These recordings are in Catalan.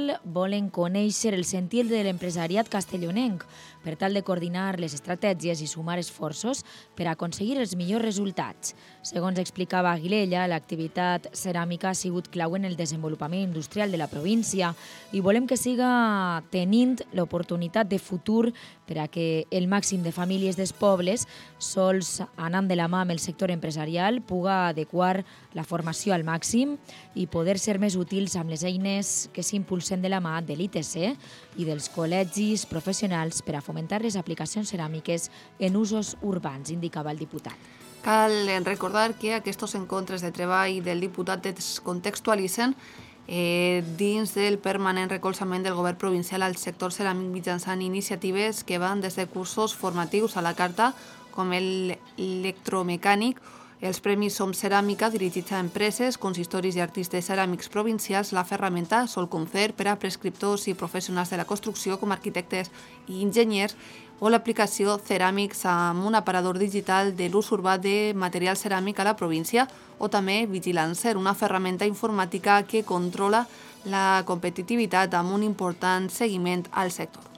municipal volen conèixer el sentir de l'empresariat castellonenc per tal de coordinar les estratègies i sumar esforços per aconseguir els millors resultats. Segons explicava Aguilella, l'activitat ceràmica ha sigut clau en el desenvolupament industrial de la província i volem que siga tenint l'oportunitat de futur per a que el màxim de famílies dels pobles, sols anant de la mà amb el sector empresarial, puga adequar la formació al màxim i poder ser més útils amb les eines que s'impulsen de la mà de l'ITC i dels col·legis professionals per a fomentar les aplicacions ceràmiques en usos urbans, indicava el diputat. Cal recordar que aquests encontres de treball del diputat es contextualitzen dins del permanent recolzament del govern provincial al sector ceràmic mitjançant iniciatives que van des de cursos formatius a la carta, com l'electromecànic, els Premis Som Ceràmica, dirigits a empreses, consistoris i artistes ceràmics provincials, la ferramenta Sol Concert per a prescriptors i professionals de la construcció com arquitectes i enginyers, o l'aplicació Ceràmics amb un aparador digital de l'ús urbà de material ceràmic a la província, o també Vigilancer, una ferramenta informàtica que controla la competitivitat amb un important seguiment al sector.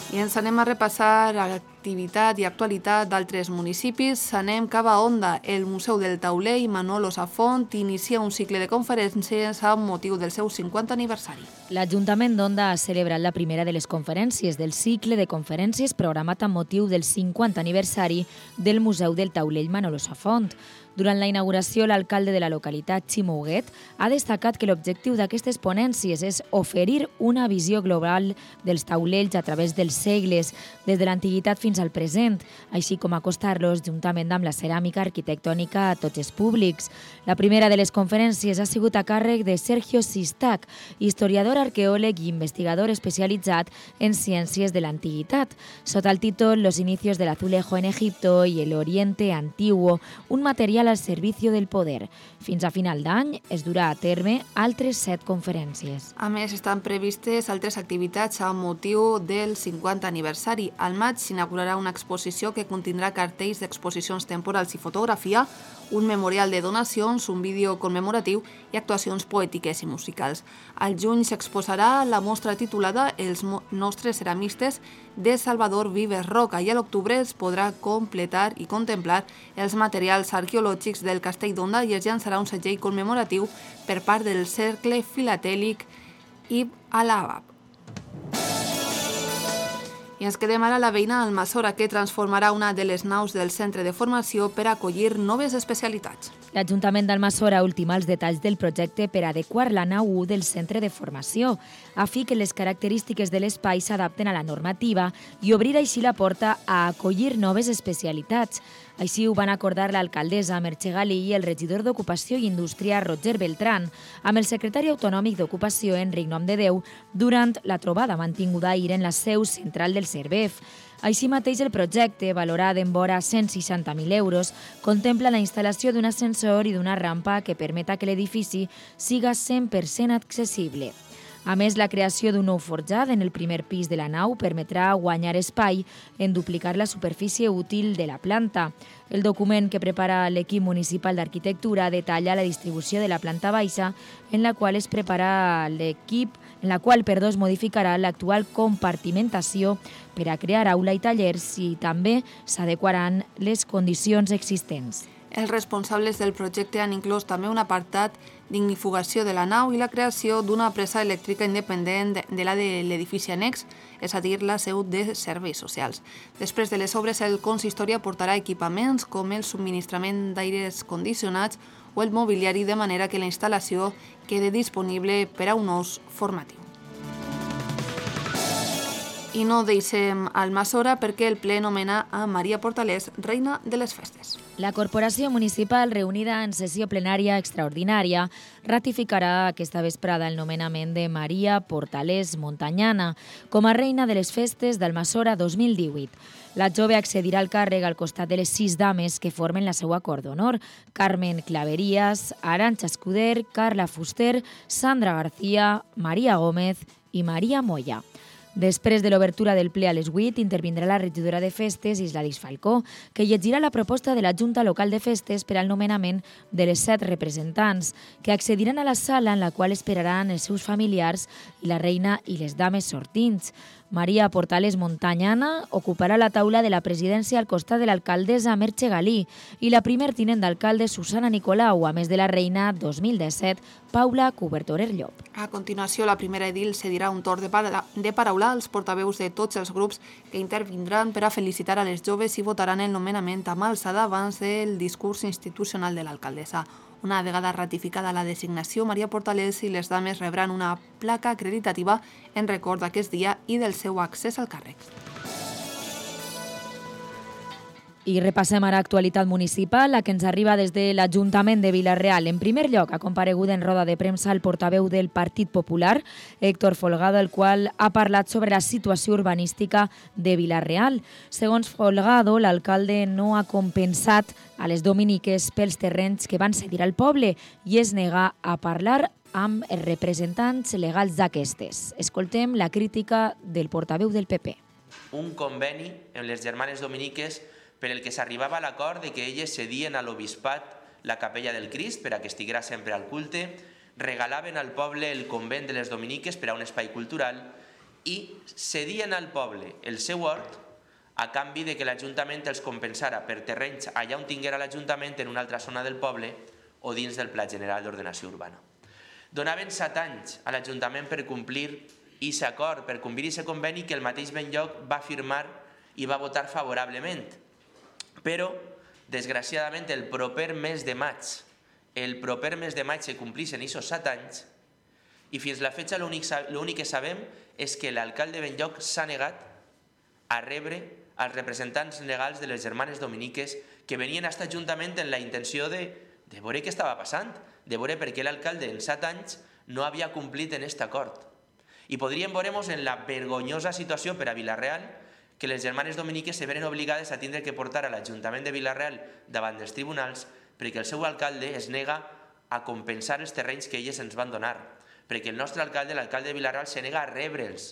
I ens anem a repassar l'activitat i actualitat d'altres municipis. Anem cap a Onda. El Museu del Tauler i Manolo Safont inicia un cicle de conferències amb motiu del seu 50 aniversari. L'Ajuntament d'Onda ha celebrat la primera de les conferències del cicle de conferències programat amb motiu del 50 aniversari del Museu del Tauler i Manolo Safont. Durant la inauguració, l'alcalde de la localitat, Ximo Huguet, ha destacat que l'objectiu d'aquestes ponències és oferir una visió global dels taulells a través dels segles, des de l'antiguitat fins al present, així com acostar-los juntament amb la ceràmica arquitectònica a tots els públics. La primera de les conferències ha sigut a càrrec de Sergio Sistac, historiador, arqueòleg i investigador especialitzat en ciències de l'antiguitat, sota el títol Los inicios del azulejo en Egipto y el Oriente Antiguo, un material al servicio del poder. Fins a final d'any es durà a terme altres 7 conferències. A més, estan previstes altres activitats amb motiu del 50 aniversari. Al maig s'inaugurarà una exposició que contindrà cartells d'exposicions temporals i fotografia, un memorial de donacions, un vídeo commemoratiu i actuacions poètiques i musicals. Al juny s'exposarà la mostra titulada Els nostres ceramistes de Salvador Vives Roca i a l'octubre es podrà completar i contemplar els materials arqueològics del Castell d'Onda i es llançarà un segell commemoratiu per part del Cercle Filatèlic Ibn al-Abab. I ens quedem ara a la veïna Almassora, que transformarà una de les naus del centre de formació per acollir noves especialitats. L'Ajuntament d'Almassora ultima els detalls del projecte per adequar la nau 1 del centre de formació, a fi que les característiques de l'espai s'adapten a la normativa i obrir així la porta a acollir noves especialitats. Així ho van acordar l'alcaldessa Merche Galí i el regidor d'Ocupació i Indústria Roger Beltrán amb el secretari autonòmic d'Ocupació Enric Nomdedeu durant la trobada mantinguda ahir en la seu central del Cervef. Així mateix, el projecte, valorat en vora 160.000 euros, contempla la instal·lació d'un ascensor i d'una rampa que permeta que l'edifici siga 100% accessible. A més, la creació d'un nou forjat en el primer pis de la nau permetrà guanyar espai en duplicar la superfície útil de la planta. El document que prepara l'equip municipal d'arquitectura detalla la distribució de la planta baixa, en la qual es modificarà l'actual compartimentació per a crear aula i tallers i també s'adequaran les condicions existents. Els responsables del projecte han inclòs també un apartat d'ignifugació de la nau i la creació d'una presa elèctrica independent de la de l'edifici annex, és a dir, la seu de serveis socials. Després de les obres, el consistori aportarà equipaments com el subministrament d'aires condicionats o el mobiliari, de manera que la instal·lació quede disponible per a un ús formatiu. I no deixem Almassora perquè el ple nomena a Maria Portalés reina de les festes. La Corporació Municipal, reunida en sessió plenària extraordinària, ratificarà aquesta vesprada el nomenament de Maria Portalés Montanyana com a reina de les festes d'Almassora 2018. La jove accedirà al càrrec al costat de les 6 dames que formen la seva cort d'honor: Carmen Claverías, Arantxa Escuder, Carla Fuster, Sandra García, Maria Gómez i Maria Moya. Després de l'obertura del ple a les 8, intervindrà la regidora de Festes, Isladis Falcó, que llegirà la proposta de la Junta Local de Festes per al nomenament de les 7 representants, que accediran a la sala en la qual esperaran els seus familiars i la reina i les dames sortints. Maria Portales Montañana ocuparà la taula de la presidència al costat de l'alcaldessa Merche Galí i la primer tinent d'alcalde Susana Nicolau, a més de la reina 2017 Paula Cubertorer Llop. A continuació, la primera edil cedirà un torn de paraula als portaveus de tots els grups que intervindran per a felicitar a les joves i votaran el nomenament amb alçada abans del discurs institucional de l'alcaldessa. Una vegada ratificada la designació, Maria Portales i les dames rebran una placa acreditativa en record d'aquest dia i del seu accés al càrrec. I repassem ara actualitat municipal, la que ens arriba des de l'Ajuntament de Vila-real. En primer lloc, ha comparegut en roda de premsa el portaveu del Partit Popular, Héctor Folgado, el qual ha parlat sobre la situació urbanística de Vila-real. Segons Folgado, l'alcalde no ha compensat a les dominiques pels terrenys que van cedir al poble i es nega a parlar amb els representants legals d'aquestes. Escoltem la crítica del portaveu del PP. Un conveni amb les germanes dominiques per el que s'arribava a l'acord de que elles cedien a l'obispat la capella del Crist per a que estiguera sempre al culte, regalaven al poble el convent de les dominiques per a un espai cultural i cedien al poble el seu hort a canvi de que l'Ajuntament els compensara per terrenys allà on tinguera l'Ajuntament en una altra zona del poble o dins del Pla General d'Ordenació Urbana. Donaven 7 anys a l'Ajuntament per complir aquest acord, per complir aquest conveni que el mateix Benlloc va firmar i va votar favorablement. Però, desgraciadament, el proper mes de maig se complixen aquests 7 anys i fins la fecha l'únic que sabem és que l'alcalde Benlloc s'ha negat a rebre als representants legals de les germanes dominiques que venien a aquest ajuntament en la intenció de veure què estava passant, de veure per què l'alcalde en 7 anys no havia complit en aquest acord. I podríem veure-nos en la vergonyosa situació per a Vila-real que les germanes dominiques se veren obligades a tindre que portar a l'Ajuntament de Vila-real davant dels tribunals perquè el seu alcalde es nega a compensar els terrenys que elles ens van donar, perquè el nostre alcalde, l'alcalde de Vila-real, se nega a rebre'ls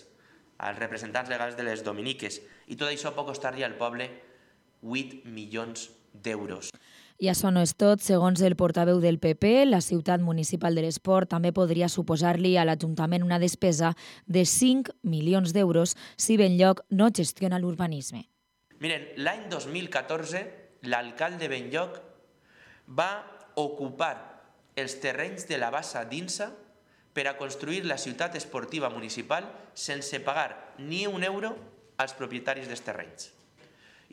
als representants legals de les dominiques i tot això pot costar-li al poble 8 milions d'euros. I això no és tot. Segons el portaveu del PP, la ciutat municipal de l'esport també podria suposar-li a l'Ajuntament una despesa de 5 milions d'euros si Benlloc no gestiona l'urbanisme. Miren, l'any 2014 l'alcalde Benlloc va ocupar els terrenys de la Bassa d'Insa per a construir la ciutat esportiva municipal sense pagar ni un euro als propietaris dels terrenys.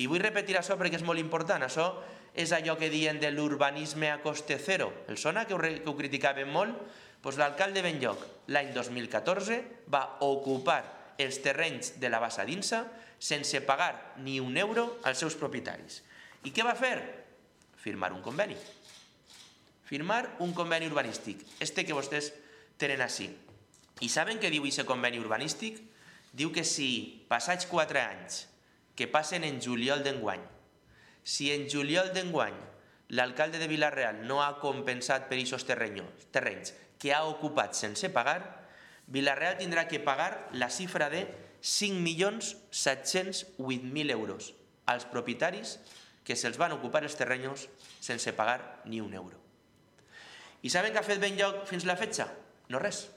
I vull repetir això perquè és molt important. Això és allò que diuen de l'urbanisme a coste zero. El sona que ho criticàvem molt? Doncs l'alcalde Benlloc l'any 2014 va ocupar els terrenys de la Bassa d'Insa sense pagar ni un euro als seus propietaris. I què va fer? Firmar un conveni. Firmar un conveni urbanístic, que vostès tenen així. I saben què diu aquest conveni urbanístic? Diu que si passats 4 anys que passen en juliol d'enguany, si en juliol d'enguany l'alcalde de Vila-real no ha compensat per aquests terrenys que ha ocupat sense pagar, Vila-real tindrà que pagar la xifra de 5.708.000 euros als propietaris que se'ls van ocupar els terrenys sense pagar ni un euro. I saben què ha fet Benlloc fins la fetxa? No res.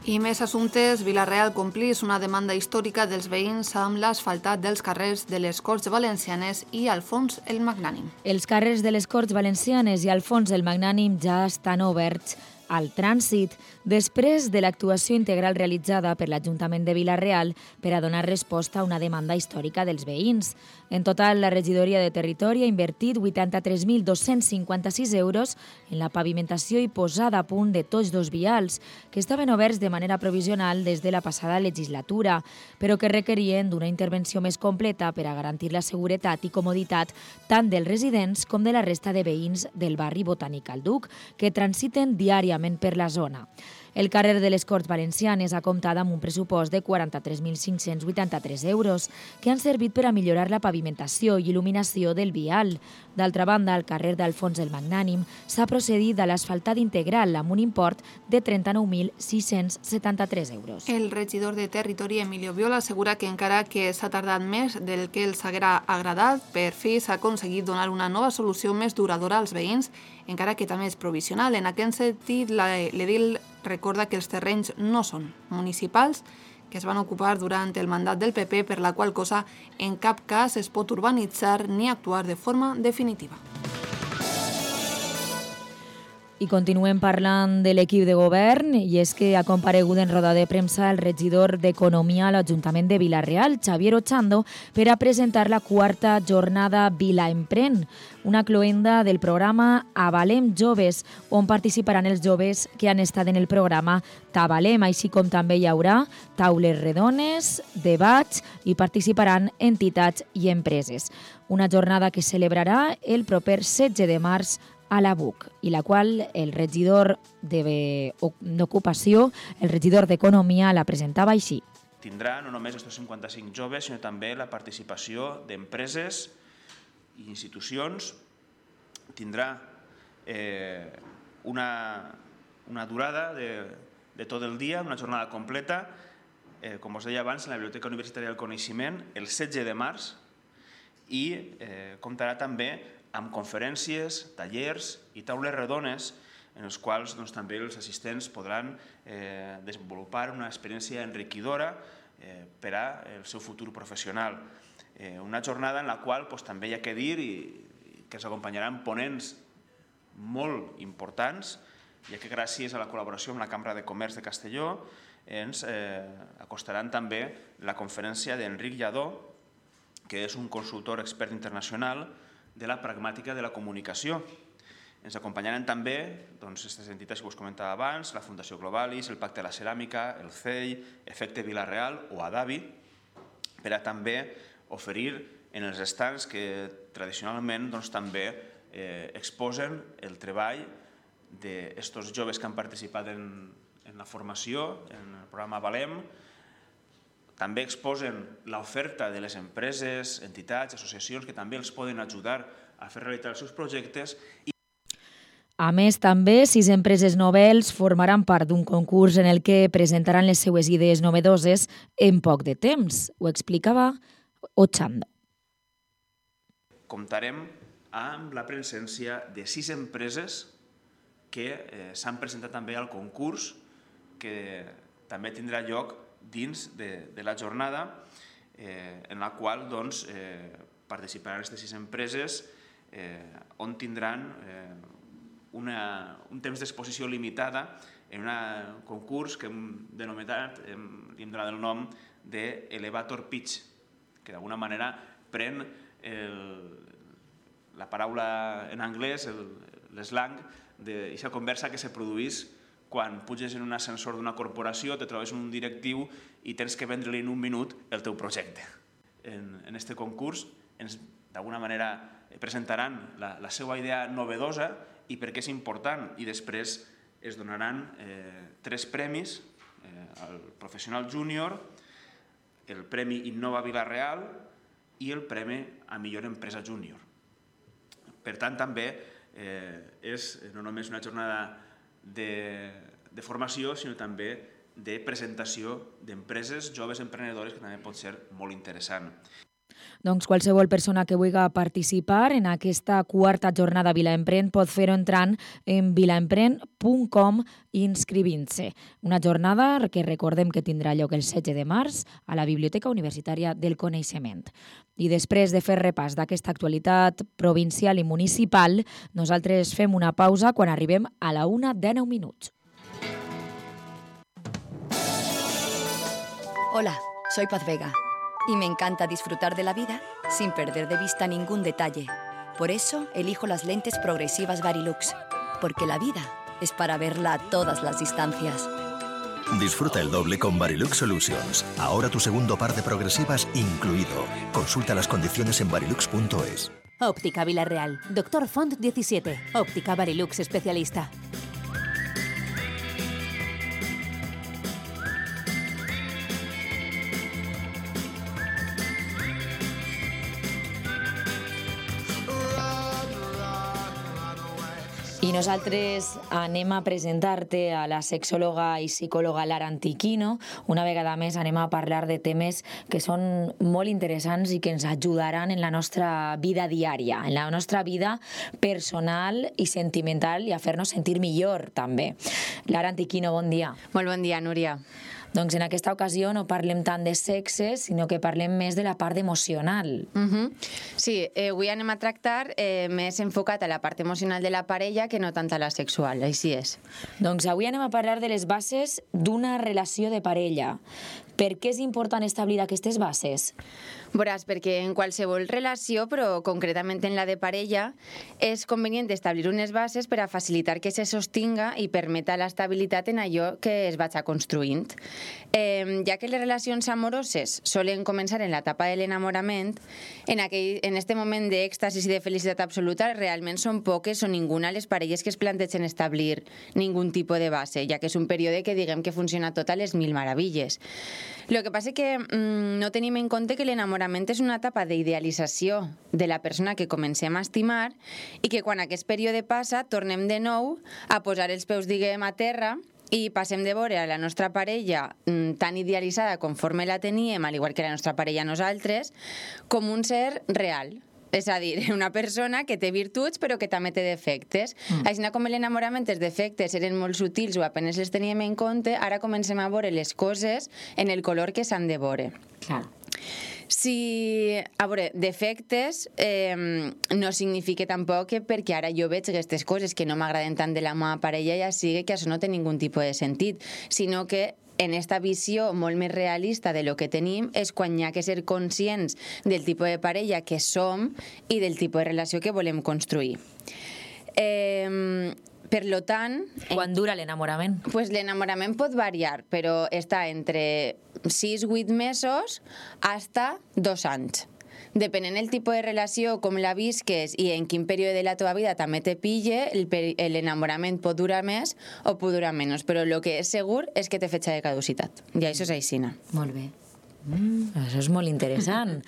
I més assumptes, Vila-real complís una demanda històrica dels veïns amb l'asfaltat dels carrers de les Corts Valencianes i Alfons el Magnànim. Els carrers de les Corts Valencianes i Alfons el Magnànim ja estan oberts al trànsit, després de l'actuació integral realitzada per l'Ajuntament de Vila-real per a donar resposta a una demanda històrica dels veïns. En total, la regidoria de Territori ha invertit 83.256 euros en la pavimentació i posada a punt de tots 2 vials, que estaven oberts de manera provisional des de la passada legislatura, però que requerien d'una intervenció més completa per a garantir la seguretat i comoditat tant dels residents com de la resta de veïns del barri Botànic al Duc, que transiten diàriament per la zona. El carrer de les Corts Valencianes ha comptat amb un pressupost de 43.583 euros que han servit per a millorar la pavimentació i il·luminació del vial. D'altra banda, al carrer d'Alfons el Magnànim s'ha procedit a l'asfaltat integral amb un import de 39.673 euros. El regidor de Territori, Emilio Viola, assegura que encara que s'ha tardat més del que els haguera agradat, per fi s'ha aconseguit donar una nova solució més duradora als veïns, encara que també és provisional. En aquest sentit, l'edil recorda que els terrenys no són municipals, que es van ocupar durant el mandat del PP, per la qual cosa en cap cas es pot urbanitzar ni actuar de forma definitiva. I continuem parlant de l'equip de govern, i és que ha comparegut en roda de premsa el regidor d'Economia a l'Ajuntament de Vila-real, Xavier Ochando, per a presentar la quarta jornada Vila Emprèn, una cloenda del programa Avalem Joves, on participaran els joves que han estat en el programa T'Avalem, així com també hi haurà taules redones, debats i participaran entitats i empreses. Una jornada que celebrarà el proper 16 de març a la BUC, i la qual el regidor d'Ocupació, el regidor d'Economia, la presentava així. Tindrà no només aquests 55 joves, sinó també la participació d'empreses i institucions. Tindrà una durada de tot el dia, una jornada completa, com us deia abans, en la Biblioteca Universitària del Coneixement, el 16 de març, i comptarà també amb conferències, tallers i taules redones en els quals també els assistents podran desenvolupar una experiència enriquidora per al seu futur professional. Una jornada en la qual també hi ha que dir que ens acompanyaran ponents molt importants, ja que gràcies a la col·laboració amb la Cambra de Comerç de Castelló ens acostaran també la conferència d'Enric Lladó, que és un consultor expert internacional de la pragmàtica de la comunicació. Ens acompanyaran també aquestes entitats que us comentava abans, la Fundació Globalis, el Pacte de la Ceràmica, el CEI, Efecte Vila-real o Adavi, per a també oferir en els estants que tradicionalment també exposen el treball d'aquests joves que han participat en la formació, en el programa Avalem. També exposen l'oferta de les empreses, entitats, associacions que també els poden ajudar a fer realitat els seus projectes. A més, també, 6 empreses noves formaran part d'un concurs en el que presentaran les seues idees novedoses en poc de temps. Ho explicava Ochando. Comptarem amb la presència de 6 empreses que s'han presentat també al concurs, que també tindrà lloc dins de la jornada, en la qual participaran aquestes 6 empreses, on tindran un temps d'exposició limitada en un concurs que hem denominat, li hem donat el nom d'Elevator Pitch, que d'alguna manera pren la paraula en anglès, l'eslang, d'aquesta conversa que se produís quan puges en un ascensor d'una corporació, te trobes un directiu i tens que vendre-li en un minut el teu projecte. En aquest concurs ens d'alguna manera presentaran la seva idea novedosa i per què és important, i després es donaran 3 premis, el Professional Júnior, el Premi Innova Vila-real i el Premi a Millor Empresa Júnior. Per tant, també és no només una jornada de formació, sinó també de presentació d'empreses joves emprenedores, que també pot ser molt interessant. Doncs qualsevol persona que vulgui participar en aquesta quarta jornada Vila Emprèn pot fer-ho entrant en vilaemprèn.com i inscrivint-se. Una jornada que recordem que tindrà lloc el 16 de març a la Biblioteca Universitària del Coneixement. I després de fer repàs d'aquesta actualitat provincial i municipal, nosaltres fem una pausa quan arribem a la 1:19. Hola, soy Paz Vega. Y me encanta disfrutar de la vida sin perder de vista ningún detalle. Por eso elijo las lentes progresivas Varilux, porque la vida es para verla a todas las distancias. Disfruta el doble con Varilux Solutions. Ahora tu segundo par de progresivas incluido. Consulta las condiciones en varilux.es. Óptica Vila-real. Dr. Font 17. Óptica Varilux especialista. I nosaltres anem a presentar-te a la sexòloga i psicòloga Lara Antiquino. Una vegada més anem a parlar de temes que són molt interessants i que ens ajudaran en la nostra vida diària, en la nostra vida personal i sentimental, i a fer-nos sentir millor també. Lara Antiquino, bon dia. Molt bon dia, Núria. Doncs en aquesta ocasió no parlem tant de sexe, sinó que parlem més de la part emocional. Sí, avui anem a tractar més enfocat a la part emocional de la parella que no tant a la sexual, així és. Doncs avui anem a parlar de les bases d'una relació de parella. Per què és important establir aquestes bases? Veuràs, perquè en qualsevol relació, però concretament en la de parella, és convenient establir unes bases per a facilitar que se sostinga i permeta l'estabilitat en allò que es vaig construint. Ja que les relacions amoroses solen començar en l'etapa de l'enamorament, en este moment d'èxtasis i de felicitat absoluta realment són poques o ninguna les parelles que es plantegen establir ningun tipus de base, ja que és un període que diguem que funciona tot a les mil meravilles. Lo que passa és que no tenim en compte que l'enamorament és una etapa d'idealització de la persona que comencem a estimar i que quan aquest període passa tornem de nou a posar els peus, diguem, a terra i passem de veure a la nostra parella tan idealitzada conforme la teníem, al igual que la nostra parella nosaltres, com un ser real. És a dir, una persona que té virtuts però que també té defectes. Així com l'enamorament, els defectes eren molt sutils o apenas les teníem en compte, ara comencem a veure les coses en el color que s'han de veure. Clar. Si, a veure, defectes no significa tampoc que perquè ara jo veig aquestes coses que no m'agraden tant de la meva parella ja sigui que això no té ningun tipus de sentit, sinó que en esta visió molt més realista de lo que tenim és quan hi ha que ser conscients del tipus de parella que som i del tipus de relació que volem construir. Per lo tant... Quan dura l'enamorament? Pues l'enamorament pot variar, però està entre 6-8 mesos hasta 2 anys. Depenent del tipus de relació, com la visques i en quin període de la teva vida també te pille, l'enamorament pot durar més o pot durar menys, però el que és segur és que té fetge de caducitat. I això és aixina. Molt bé. Això és molt interessant.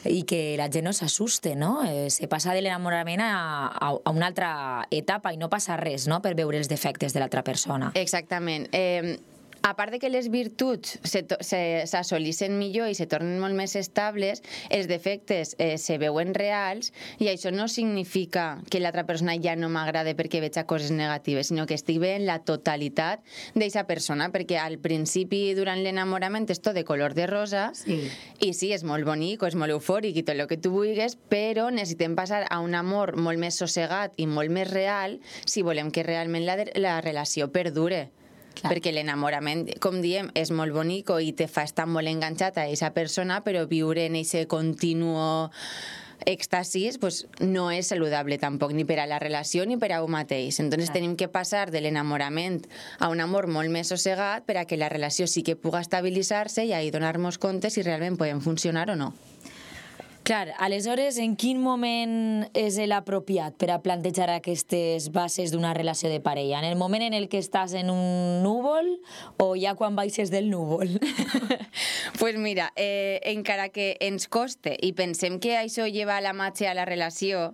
I que la gent no s'assuste, no? Se passa de l'enamorament a una altra etapa i no passa res, no?, per veure els defectes de l'altra persona. Exactament. A part de que les virtuts s'assolissin millor i se tornen molt més estables, els defectes se veuen reals i això no significa que l'altra persona ja no m'agrada perquè veig coses negatives, sinó que estic veient la totalitat d'aquesta persona, perquè al principi, durant l'enamorament, és tot de color de rosa i sí, és molt bonic, és molt eufòric i tot el que tu vulguis, però necessitem passar a un amor molt més sossegat i molt més real si volem que realment la relació perdure. Clar. Perquè l'enamorament, com diem, és molt bonic i te fa estar molt enganxat a aquesta persona, però viure en aquest continuo èxtasis pues, no és saludable tampoc, ni per a la relació ni per a un mateix. Entonces tenim que passar de l'enamorament a un amor molt més sossegat per a que la relació sí que puga estabilitzar-se i ahí donar-nos compte si realment podem funcionar o no. Clar, aleshores, en quin moment és l'apropiat per a plantejar aquestes bases d'una relació de parella? En el moment en el que estàs en un núvol o ja quan baixes del núvol? Pues mira, encara que ens coste i pensem que això lleva la matxa a la relació,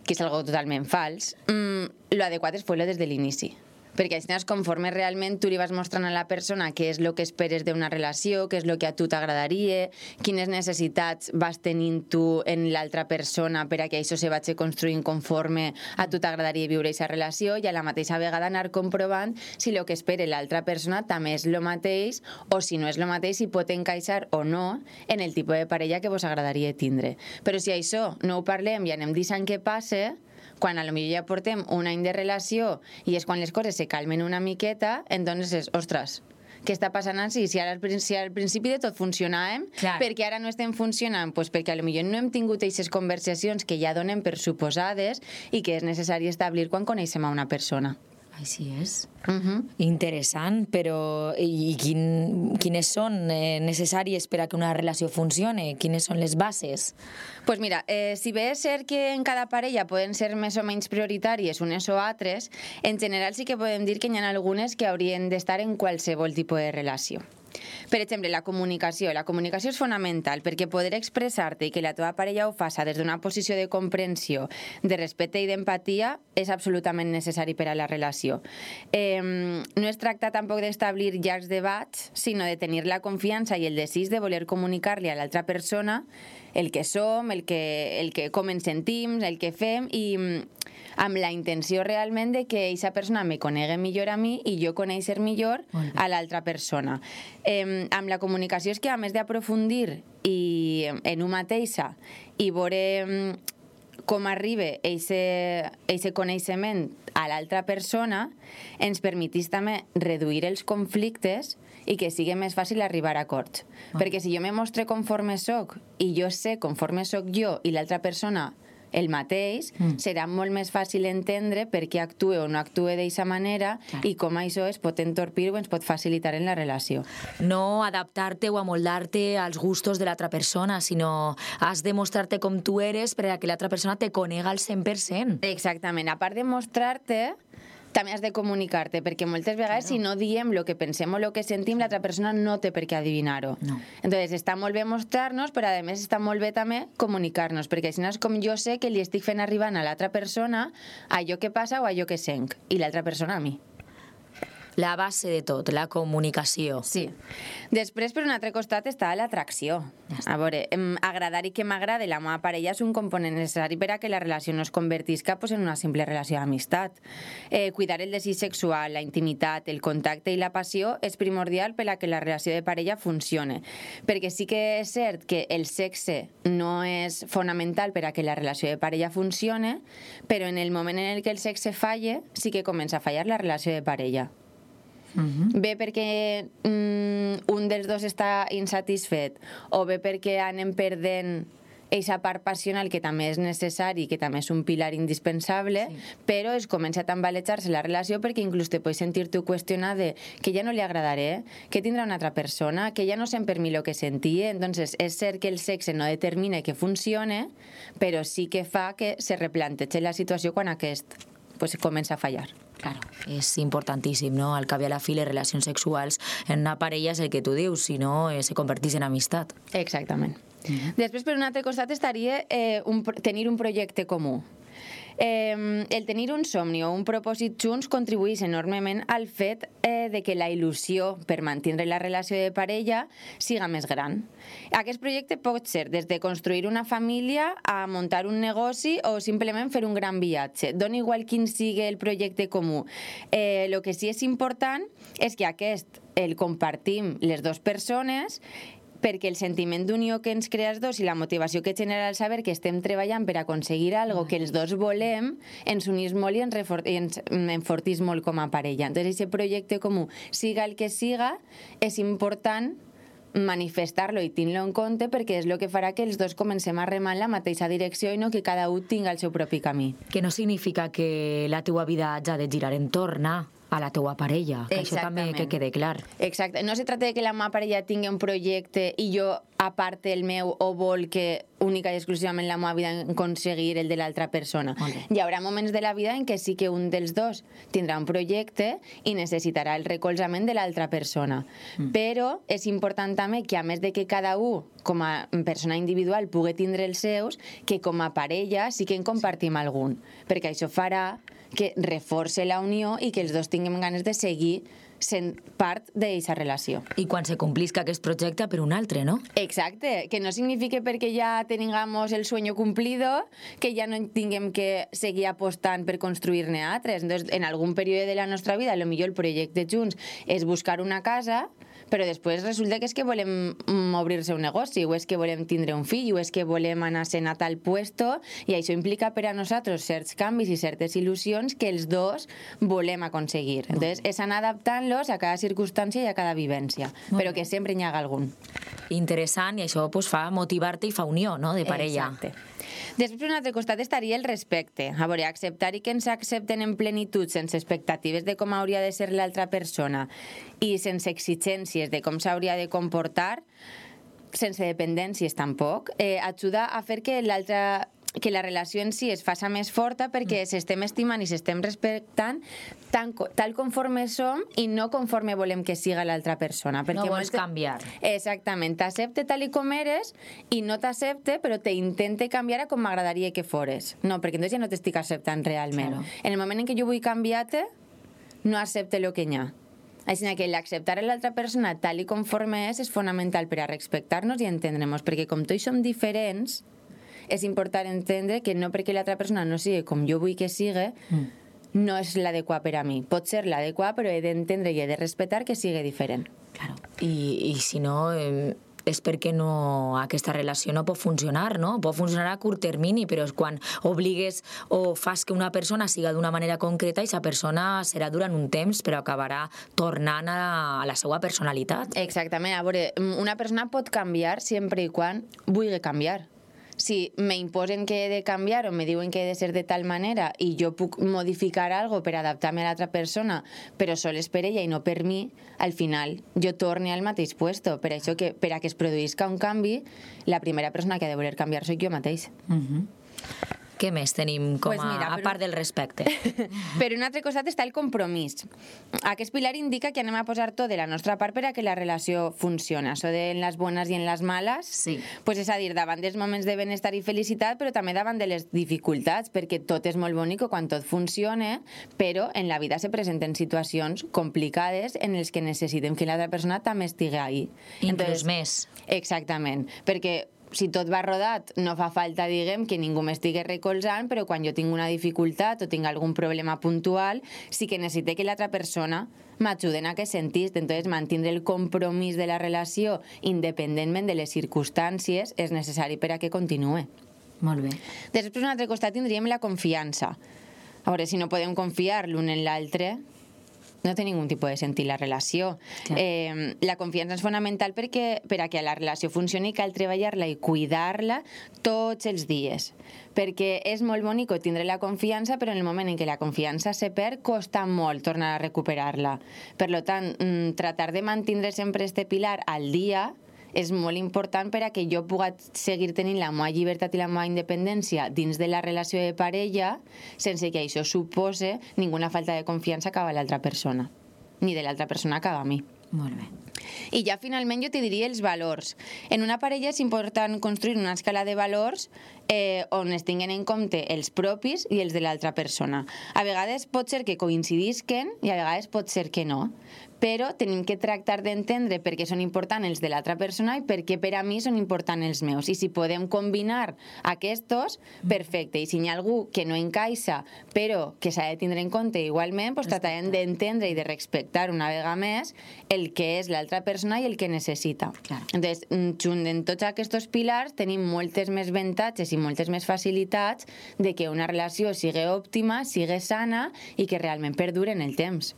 que és algo totalment fals, lo adequat és fer-lo des de l'inici. Perquè així conforme realment tu li vas mostrant a la persona què és el que esperes d'una relació, què és el que a tu t'agradaria, quines necessitats vas tenint tu en l'altra persona per a que això se vagi construint conforme a tu t'agradaria viure aquesta relació i a la mateixa vegada anar comprovant si el que espera l'altra persona també és el mateix o si no és el mateix, si pot encaixar o no en el tipus de parella que vos agradaria tindre. Però si això no ho parlem i anem deixant que passe, quan a lo millor ja portem un any de relació i és quan les coses se calmen una miqueta, entonces és, ostres, què està passant així? Si al principi de tot funcionàvem, perquè ara no estem funcionant? Pues perquè a lo millor no hem tingut aquestes conversacions que ja donem per suposades i que és necessari establir quan coneixem a una persona. Així és. Interessant, però i quines són necessàries per a que una relació funcione? Quines són les bases? Pues mira, si bé és cert que en cada parella poden ser més o menys prioritàries unes o altres, en general sí que podem dir que hi ha algunes que haurien d'estar en qualsevol tipus de relació. Per exemple, la comunicació. La comunicació és fonamental perquè poder expressar-te i que la teva parella ho faça des d'una posició de comprensió, de respecte i d'empatia és absolutament necessari per a la relació. No es tracta tampoc d'establir llargs debats, sinó de tenir la confiança i el desig de voler comunicar-li a l'altra persona el que som, com ens sentim, el que fem, i amb la intenció realment de que aquesta persona me conegui millor a mi i jo conèixer millor a l'altra persona. Amb la comunicació és que, a més d'aprofundir en una mateixa i veure com arriba aquest coneixement a l'altra persona, ens permetís també reduir els conflictes i que sigui més fàcil arribar a acords. Perquè si jo me mostre conforme soc i jo sé conforme soc jo i l'altra persona el mateix, serà molt més fàcil entendre per què actue o no actue d'aquesta manera i com això es pot entorpir o ens pot facilitar en la relació. No adaptar-te o amoldar-te als gustos de l'altra persona, sinó has de mostrar-te com tu eres per a que l'altra persona te conega al 100%. Exactament. A part de mostrar-te, també has de comunicar-te, perquè moltes vegades si no diem el que pensem o el que sentim, l'altra persona no té per què adivinar-ho. Entonces, està molt bé mostrar-nos, però a més està molt bé també comunicar-nos, perquè si no és com jo sé que li estic fent arribar a l'altra persona allò que passa o allò que sent, i l'altra persona a mi. La base de tot, la comunicació. Sí. Després, per un altre costat, està l'atracció. A veure, agradar i que m'agrade la meva parella és un component necessari per a que la relació no es convertisca en una simple relació d'amistat. Cuidar el desig sexual, la intimitat, el contacte i la passió és primordial per a que la relació de parella funcione. Perquè sí que és cert que el sexe no és fonamental per a que la relació de parella funcione, però en el moment en el que el sexe falle, sí que comença a fallar la relació de parella. Bé perquè un dels dos està insatisfet o bé perquè anem perdent aquesta part passional que també és necessari, que també és un pilar indispensable, però es comença a tambalejar-se la relació perquè inclús te pots sentir tu qüestionar de que ja no li agradaré, que tindrà una altra persona, que ja no sent per mi el que sentia. Entonces, és cert que el sexe no determina que funcione, però sí que fa que se replanteja la situació quan aquest comença a fallar. Claro, és importantíssim, no? Al cap i a la fi, les relacions sexuals en una parella és el que tu dius, si no, se converteix en amistat. Exactament. Després, per un altre costat, estaria tenir un projecte comú. El tenir un somni o un propòsit junts contribueix enormement al fet de que la il·lusió per mantenir la relació de parella siga més gran. Aquest projecte pot ser des de construir una família a muntar un negoci o simplement fer un gran viatge. Dona igual quin sigui el projecte comú. El que sí és important és que aquest el compartim les dues persones, perquè el sentiment d'unió que ens crea els dos i la motivació que genera el saber que estem treballant per aconseguir alguna que els dos volem ens unís molt i ens enfortís molt com a parella. Entonces, aquest projecte comú, siga el que siga, és important manifestar-lo i tenir-lo en compte perquè és el que farà que els dos comencem a remar en la mateixa direcció i no que cada un tinga el seu propi camí. Que no significa que la teua vida hagi de girar entorn a la teua parella, que això també que quede clar. Exacte, no se tracta de que la meva parella tingui un projecte i jo, a part el meu, o vol que única i exclusivament la meva vida aconseguir el de l'altra persona. Hi haurà moments de la vida en què sí que un dels dos tindrà un projecte i necessitarà el recolzament de l'altra persona. Però és important també que, a més de que cada un, com a persona individual, pugui tindre els seus, que com a parella sí que en compartim algun, perquè això farà que reforce la unió i que els dos tinguem ganes de seguir sent part d'aquesta relació. I quan se complisca aquest projecte per un altre, no? Exacte, que no significa perquè ja tengamos el sueño cumplido que ja no tinguem que seguir apostant per construir-ne altres. Entonces, en algun període de la nostra vida, potser el projecte junts és buscar una casa, però després resulta que és que volem obrir-se un negoci, o és que volem tindre un fill, o és que volem anar-se'n a tal puesto, i això implica per a nosaltres certs canvis i certes il·lusions que els dos volem aconseguir. Entonces, és anar adaptant-los a cada circumstància i a cada vivència, però que sempre n'hi haga algun. Interessant, i això fa motivar-te i fa unió, no?, de parella. Exacte. Després, per un altre costat, estaria el respecte. A veure, acceptar i que ens accepten en plenitud, sense expectatives de com hauria de ser l'altra persona i sense exigències de com s'hauria de comportar, sense dependències tampoc, ajuda a fer que l'altra que la relació en si es faça més forta perquè s'estem estimant i s'estem respectant tal conforme som i no conforme volem que siga l'altra persona. No vols canviar. Exactament. T'accepte tal i com eres i no t'accepte, però t'intente canviar a com m'agradaria que fores. No, perquè entonces ja no t'estic acceptant realment. Claro. En el moment en què jo vull canviar-te, no accepte el que hi ha. Així que l'acceptar a l'altra persona tal i conforme és fonamental per a respectar-nos i entendre-nos, perquè com tots som diferents, és important entendre que no perquè l'altra persona no sigui com jo vull que sigui, no és l'adequat per a mi. Pot ser l'adequat, però he d'entendre i he de respectar que sigui diferent. Claro. I si no, és perquè aquesta relació no pot funcionar, no? Pot funcionar a curt termini, però quan obligues o fas que una persona siga d'una manera concreta, aquesta persona serà durant un temps, però acabarà tornant a la seva personalitat. Exactament. A veure, una persona pot canviar sempre i quan vulgui canviar. Si me imposen que he de canviar o me diuen que he de ser de tal manera i jo puc modificar algo per adaptar-me a l'altra persona, però sols per ella i no per mi, al final jo torne al mateix puesto. Per això que per a que es produïsca un canvi, la primera persona que ha de voler canviar soc jo mateix. Què més tenim a part del respecte? Per un altre costat està el compromís. Aquest pilar indica que anem a posar tot de la nostra part per a que la relació funcioni. Això de en les bones i en les males, és a dir, davant dels moments de benestar i felicitat, però també davant de les dificultats, perquè tot és molt bonic quan tot funciona, però en la vida se presenten situacions complicades en les que necessitem que l'altra persona també estigui ahí. Inclús més. Exactament, perquè si tot va rodat, no fa falta, diguem, que ningú m'estigui recolzant, però quan jo tinc una dificultat o tinc algun problema puntual, sí que necessite que l'altra persona m'ajude en aquest sentit. Entonces, mantindre el compromís de la relació, independentment de les circumstàncies, és necessari per a que continuï. Molt bé. Després, per un altre costat, tindríem la confiança. A veure, si no podem confiar l'un en l'altre, no té ningun tipus de sentit la relació. La confiança és fonamental perquè per a que la relació funcioni cal treballar-la i cuidar-la tots els dies. Perquè és molt bonic tindre la confiança, però en el moment en què la confiança se perd, costa molt tornar a recuperar-la. Per tant, tratar de mantenir sempre este pilar al dia és molt important per a que jo pugui seguir tenint la meva llibertat i la meva independència dins de la relació de parella sense que això supose ninguna falta de confiança cap a l'altra persona, ni de l'altra persona cap a mi. Molt bé. I ja finalment jo te diria els valors. En una parella és important construir una escala de valors on es tinguen en compte els propis i els de l'altra persona. A vegades pot ser que coincidisquen i a vegades pot ser que no, però tenim que tractar d'entendre per què són importants els de l'altra persona i per què per a mi són importants els meus. I si podem combinar aquests, perfecte. I si hi ha algú que no encaixa, però que s'ha de tindre en compte igualment, tratarem d'entendre i de respectar una vegada més el que és l'altra persona i el que necessita. Entonces, junt en tots aquests pilars tenim moltes més avantatges i moltes més facilitats de que una relació sigui òptima, sigui sana i que realment perdure en el temps.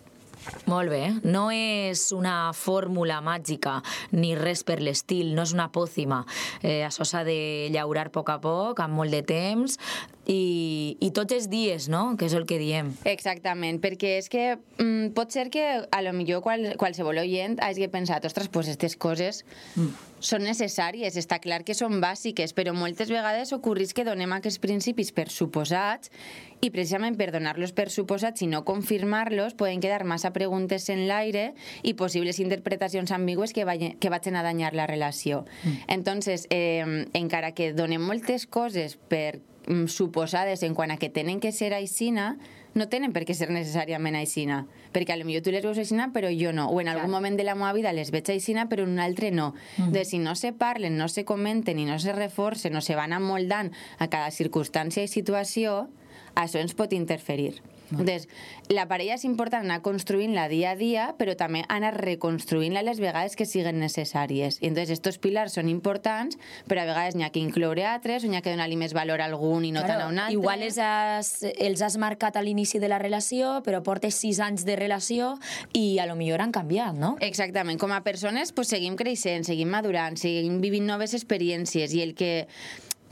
Molt bé. No és una fórmula màgica ni res per l'estil, no és una pòcima. Això s'ha de llaurar a poc, amb molt de temps i tots els dies, no? Que és el que diem. Exactament, perquè és que pot ser que a lo millor qualsevol oient hagi pensat, ostres, pues aquestes coses són necessàries, està clar que són bàsiques, però moltes vegades ocorreix que donem aquests principis per suposats i precisament per donar-los per suposats i no confirmar-los poden quedar massa preguntes en l'aire i possibles interpretacions ambigües que vagin a danyar la relació. Entonces, encara que donem moltes coses per suposades en quant a que tenen que ser aixina, no tenen per què ser necessàriament aixina, perquè potser tu les veus aixina però jo no, o en algun moment de la meva vida les veig aixina però en un altre no. Si no se parlen, no se comenten i no se reforcen, no se van amoldant a cada circumstància i situació, això ens pot interferir. Entonces, la parella és important anar construint-la dia a dia, però també anar reconstruint-la les vegades que siguen necessàries. I entonces, estos pilars són importants, però a vegades n'hi ha que incloure altres, o n'hi ha que donar-li més valor a algun i no tant a un altre. Igual els has marcat a l'inici de la relació, però portes 6 anys de relació i a lo millor han canviat, no? Exactament. Com a persones, seguim creixent, seguim madurant, seguim vivint noves experiències i el que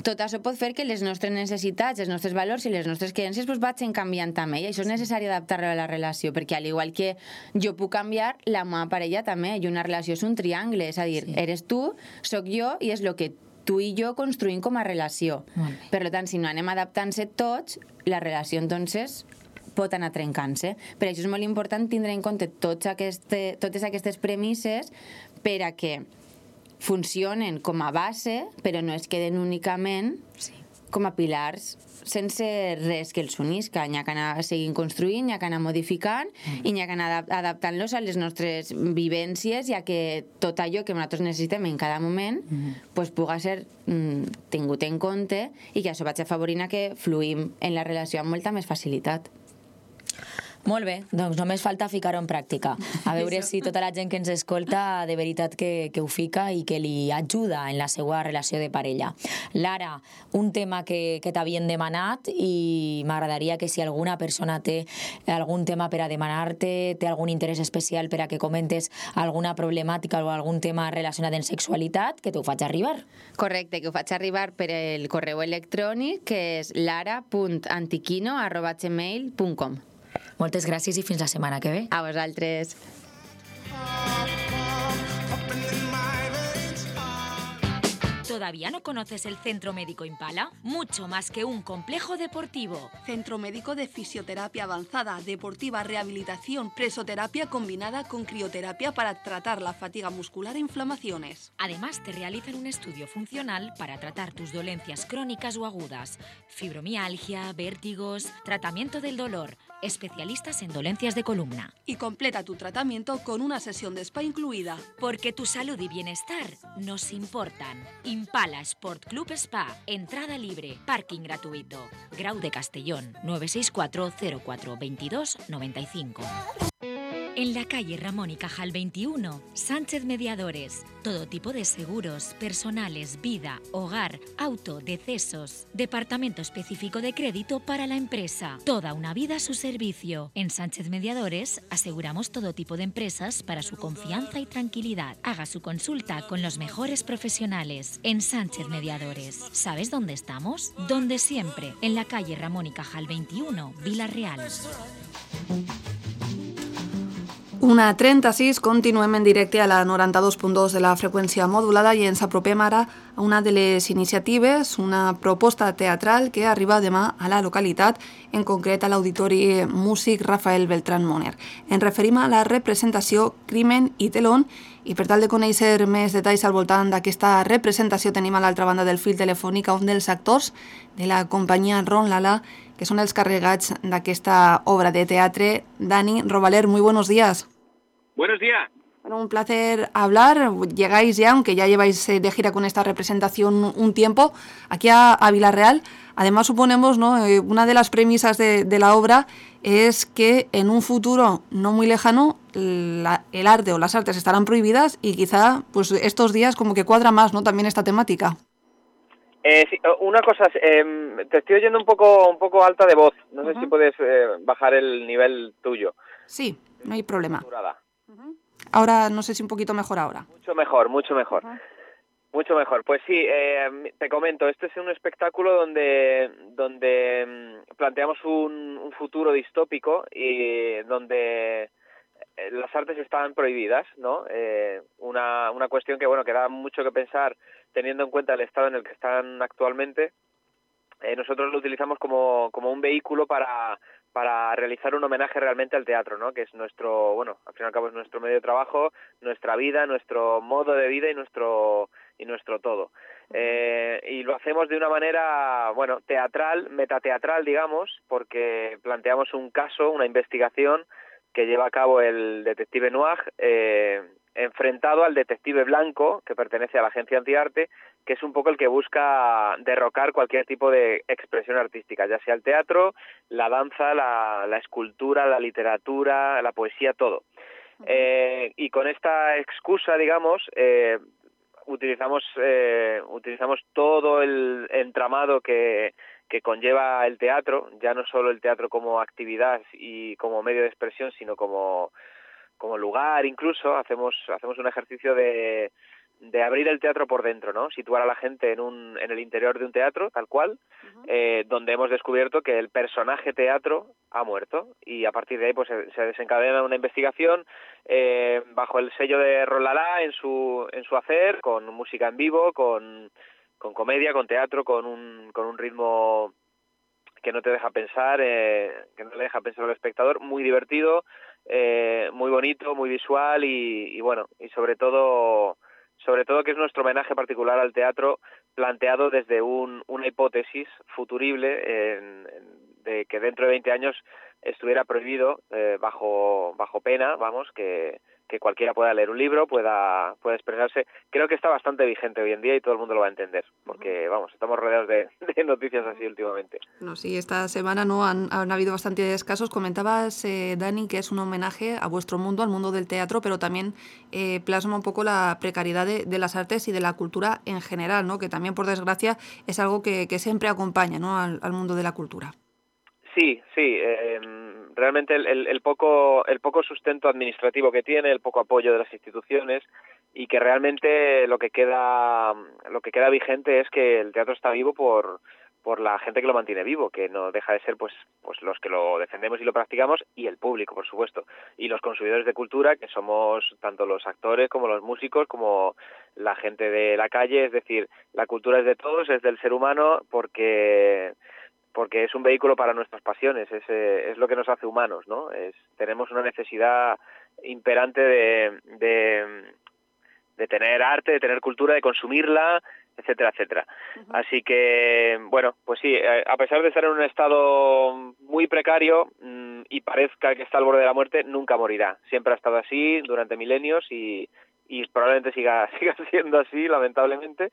tot això pot fer que les nostres necessitats, els nostres valors i les nostres creences vagin canviant també, i això és necessari adaptar-lo a la relació, perquè al igual que jo puc canviar, la meva parella també, i una relació és un triangle, és a dir, eres tu, soc jo i és el que tu i jo construïm com a relació. Per tant, si no anem adaptant-se tots, la relació, entonces, pot anar trencant-se. Per això és molt important tindre en compte totes aquestes premisses per a que funcionen com a base, però no es queden únicament com a pilars sense res que els unisca. N'hi ha que anar seguint construint, n'hi ha que anar modificant i n'hi ha que anar adaptant-los a les nostres vivències i a que tot allò que nosaltres necessitem en cada moment pugui ser tingut en compte i que això vagi afavorint a que fluïm en la relació amb molta més facilitat. Molt bé, doncs només falta ficar-ho en pràctica. A veure si tota la gent que ens escolta de veritat que ho fica i que li ajuda en la seva relació de parella. Lara, un tema que t'havien demanat i m'agradaria que si alguna persona té algun tema per a demanar-te, té algun interès especial per a que comentes alguna problemàtica o algun tema relacionat amb sexualitat, que t'ho faig arribar. Correcte, que ho faig arribar per el correu electrònic, que és lara.antiquino@gmail.com. Moltes gràcies i fins la setmana que ve. A vosaltres. ¿Todavía no conoces el Centro Médico Impala? Mucho más que un complejo deportivo. Centro médico de fisioterapia avanzada, deportiva, rehabilitación, presoterapia combinada con crioterapia para tratar la fatiga muscular e inflamaciones. Además, te realizan un estudio funcional para tratar tus dolencias crónicas o agudas, fibromialgia, vértigos, tratamiento del dolor, especialistas en dolencias de columna. Y completa tu tratamiento con una sesión de spa incluida. Porque tu salud y bienestar nos importan. Impala Sport Club Spa, entrada libre, parking gratuito. Grau de Castellón, 964 04 22 95. En la calle Ramón y Cajal 21, Sánchez Mediadores. Todo tipo de seguros, personales, vida, hogar, auto, decesos. Departamento específico de crédito para la empresa. Toda una vida a su servicio. En Sánchez Mediadores aseguramos todo tipo de empresas para su confianza y tranquilidad. Haga su consulta con los mejores profesionales. En Sánchez Mediadores. ¿Sabes dónde estamos? Donde siempre. En la calle Ramón y Cajal 21, Vila-real. 1:36, continuem en directe a la 92.2 de la freqüència modulada i ens apropem ara a una de les iniciatives, una proposta teatral que arriba demà a la localitat, en concret a l'Auditori Músic Rafael Beltrán Moner. Ens referim a la representació Crimen i Telón i per tal de conèixer més detalls al voltant d'aquesta representació tenim a l'altra banda del fil telefònic a un dels actors de la companyia Ron Lala, que son els carregats d'aquesta obra de teatre. Dani Robaler, muy buenos días. Buenos días. Bueno, un placer hablar. Llegáis ya, aunque ya lleváis de gira con esta representación un tiempo, aquí a Vila-real. Además, suponemos, ¿no? Una de las premisas de la obra es que en un futuro no muy lejano el arte o las artes estarán prohibidas y quizá pues estos días como que cuadra más, ¿no? También esta temática. Sí, una cosa, te estoy oyendo un poco alta de voz. No sé si puedes bajar el nivel tuyo. Sí, no hay problema. Ahora, no sé si un poquito mejor ahora. Mucho mejor. Mucho mejor. Pues sí, te comento, este es un espectáculo donde planteamos un futuro distópico y donde las artes están prohibidas, ¿no? Una cuestión que, bueno, que da mucho que pensar teniendo en cuenta el estado en el que están actualmente. Nosotros lo utilizamos como un vehículo para realizar un homenaje realmente al teatro, ¿no? Que es nuestro, bueno, al fin y al cabo es nuestro medio de trabajo, nuestra vida, nuestro modo de vida y nuestro todo. Y lo hacemos de una manera, bueno, teatral, metateatral, digamos, porque planteamos un caso, una investigación que lleva a cabo el detective Noir, enfrentado al detective Blanco, que pertenece a la agencia Antiarte, que es un poco el que busca derrocar cualquier tipo de expresión artística, ya sea el teatro, la danza, la escultura, la literatura, la poesía, todo. Y con esta excusa, digamos, utilizamos todo el entramado que conlleva el teatro, ya no solo el teatro como actividad y como medio de expresión, sino como lugar. Incluso hacemos un ejercicio de abrir el teatro por dentro, ¿no? Situar a la gente en el interior de un teatro, tal cual, donde hemos descubierto que el personaje teatro ha muerto, y a partir de ahí pues se desencadena una investigación bajo el sello de Ron Lala en su hacer, con música en vivo, con comedia, con teatro, con un ritmo que no te deja pensar, que no le deja pensar al espectador, muy divertido, muy bonito, muy visual y bueno, y sobre todo que es nuestro homenaje particular al teatro planteado desde una hipótesis futurible de que dentro de 20 años estuviera prohibido bajo pena, vamos, que cualquiera pueda leer un libro, pueda expresarse. Creo que está bastante vigente hoy en día y todo el mundo lo va a entender, porque vamos, estamos rodeados de noticias así últimamente. No, sí, esta semana no han habido bastantes casos. Comentabas, Dani, que es un homenaje a vuestro mundo, al mundo del teatro, pero también plasma un poco la precariedad de las artes y de la cultura en general, ¿no? Que también, por desgracia, es algo que siempre acompaña, ¿no? al mundo de la cultura. Sí, realmente el poco sustento administrativo que tiene, el poco apoyo de las instituciones y que realmente lo que queda vigente es que el teatro está vivo por la gente que lo mantiene vivo, que no deja de ser pues los que lo defendemos y lo practicamos y el público, por supuesto, y los consumidores de cultura, que somos tanto los actores como los músicos como la gente de la calle. Es decir, la cultura es de todos, es del ser humano porque es un vehículo para nuestras pasiones, es lo que nos hace humanos, ¿no? Tenemos una necesidad imperante de tener arte, de tener cultura, de consumirla, etcétera, etcétera. Uh-huh. Así que, bueno, pues sí, a pesar de estar en un estado muy precario y parezca que está al borde de la muerte, nunca morirá. Siempre ha estado así durante milenios y probablemente siga siendo así, lamentablemente.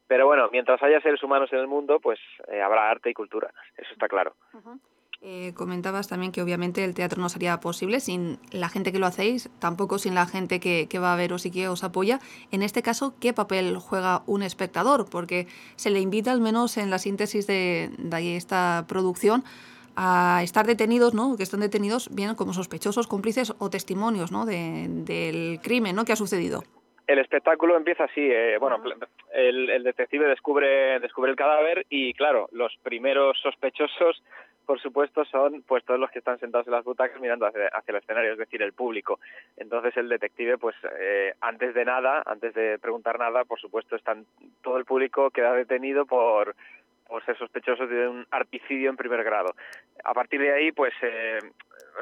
Pero bueno, mientras haya seres humanos en el mundo, pues habrá arte y cultura, eso está claro. Uh-huh. Comentabas también que obviamente el teatro no sería posible sin la gente que lo hacéis, tampoco sin la gente que va a veros y que os apoya. En este caso, ¿qué papel juega un espectador? Porque se le invita, al menos en la síntesis de esta producción, a estar detenidos, ¿no? Que están detenidos bien como sospechosos, cómplices o testimonios, ¿no? del crimen, ¿no? que ha sucedido. El espectáculo empieza así, bueno, el detective descubre el cadáver y claro, los primeros sospechosos, por supuesto, son pues todos los que están sentados en las butacas mirando hacia el escenario, es decir, el público. Entonces el detective, pues antes de preguntar nada, por supuesto, todo el público queda detenido por ser sospechosos de un arpicidio en primer grado. A partir de ahí, pues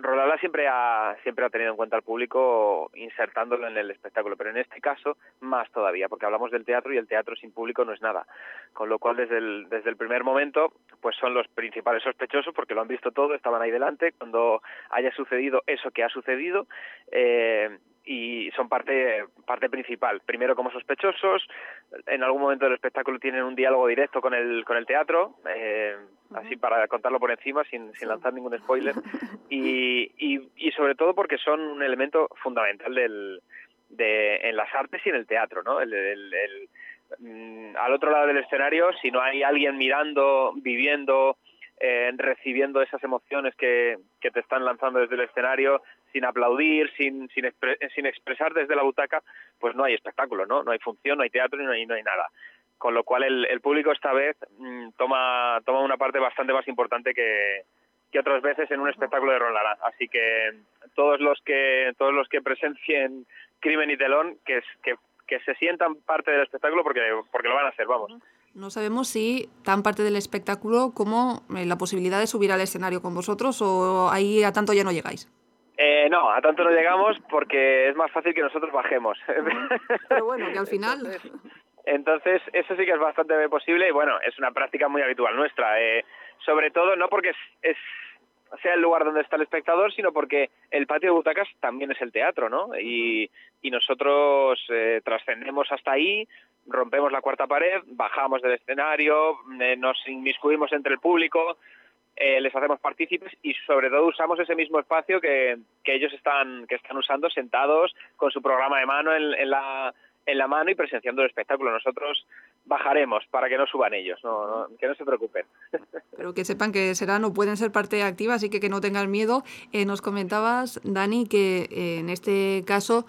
Rolala siempre ha tenido en cuenta al público insertándolo en el espectáculo, pero en este caso más todavía, porque hablamos del teatro y el teatro sin público no es nada. Con lo cual, desde el primer momento, pues son los principales sospechosos porque lo han visto todo, estaban ahí delante cuando haya sucedido eso que ha sucedido. Y son parte principal. Primero como sospechosos, en algún momento del espectáculo tienen un diálogo directo con el teatro, así para contarlo por encima, sin lanzar ningún spoiler, y sobre todo porque son un elemento fundamental en las artes y en el teatro, ¿no? Al otro lado del escenario, si no hay alguien mirando, viviendo, recibiendo esas emociones que te están lanzando desde el escenario, sin aplaudir, sin expresar desde la butaca, pues no hay espectáculo, ¿no? No hay función, no hay teatro y no hay nada. Con lo cual el público esta vez toma una parte bastante más importante que otras veces en un espectáculo de Rolala. Así que todos los que presencien Crimen y Telón, que se sientan parte del espectáculo porque lo van a hacer, vamos. No sabemos si tan parte del espectáculo como la posibilidad de subir al escenario con vosotros, o ahí a tanto ya no llegáis. No, a tanto no llegamos porque es más fácil que nosotros bajemos. Pero bueno, que al final... Entonces, eso sí que es bastante posible y bueno, es una práctica muy habitual nuestra. Sobre todo no porque sea el lugar donde está el espectador, sino porque el patio de butacas también es el teatro, ¿no? Y nosotros trascendemos hasta ahí, rompemos la cuarta pared, bajamos del escenario, nos inmiscuimos entre el público, les hacemos partícipes y sobre todo usamos ese mismo espacio que ellos están usando sentados con su programa de mano en la mano y presenciando el espectáculo. Nosotros bajaremos para que no suban ellos, que no se preocupen. Pero que sepan que serán o pueden ser parte activa, así que no tengan miedo. Nos comentabas, Dani, que en este caso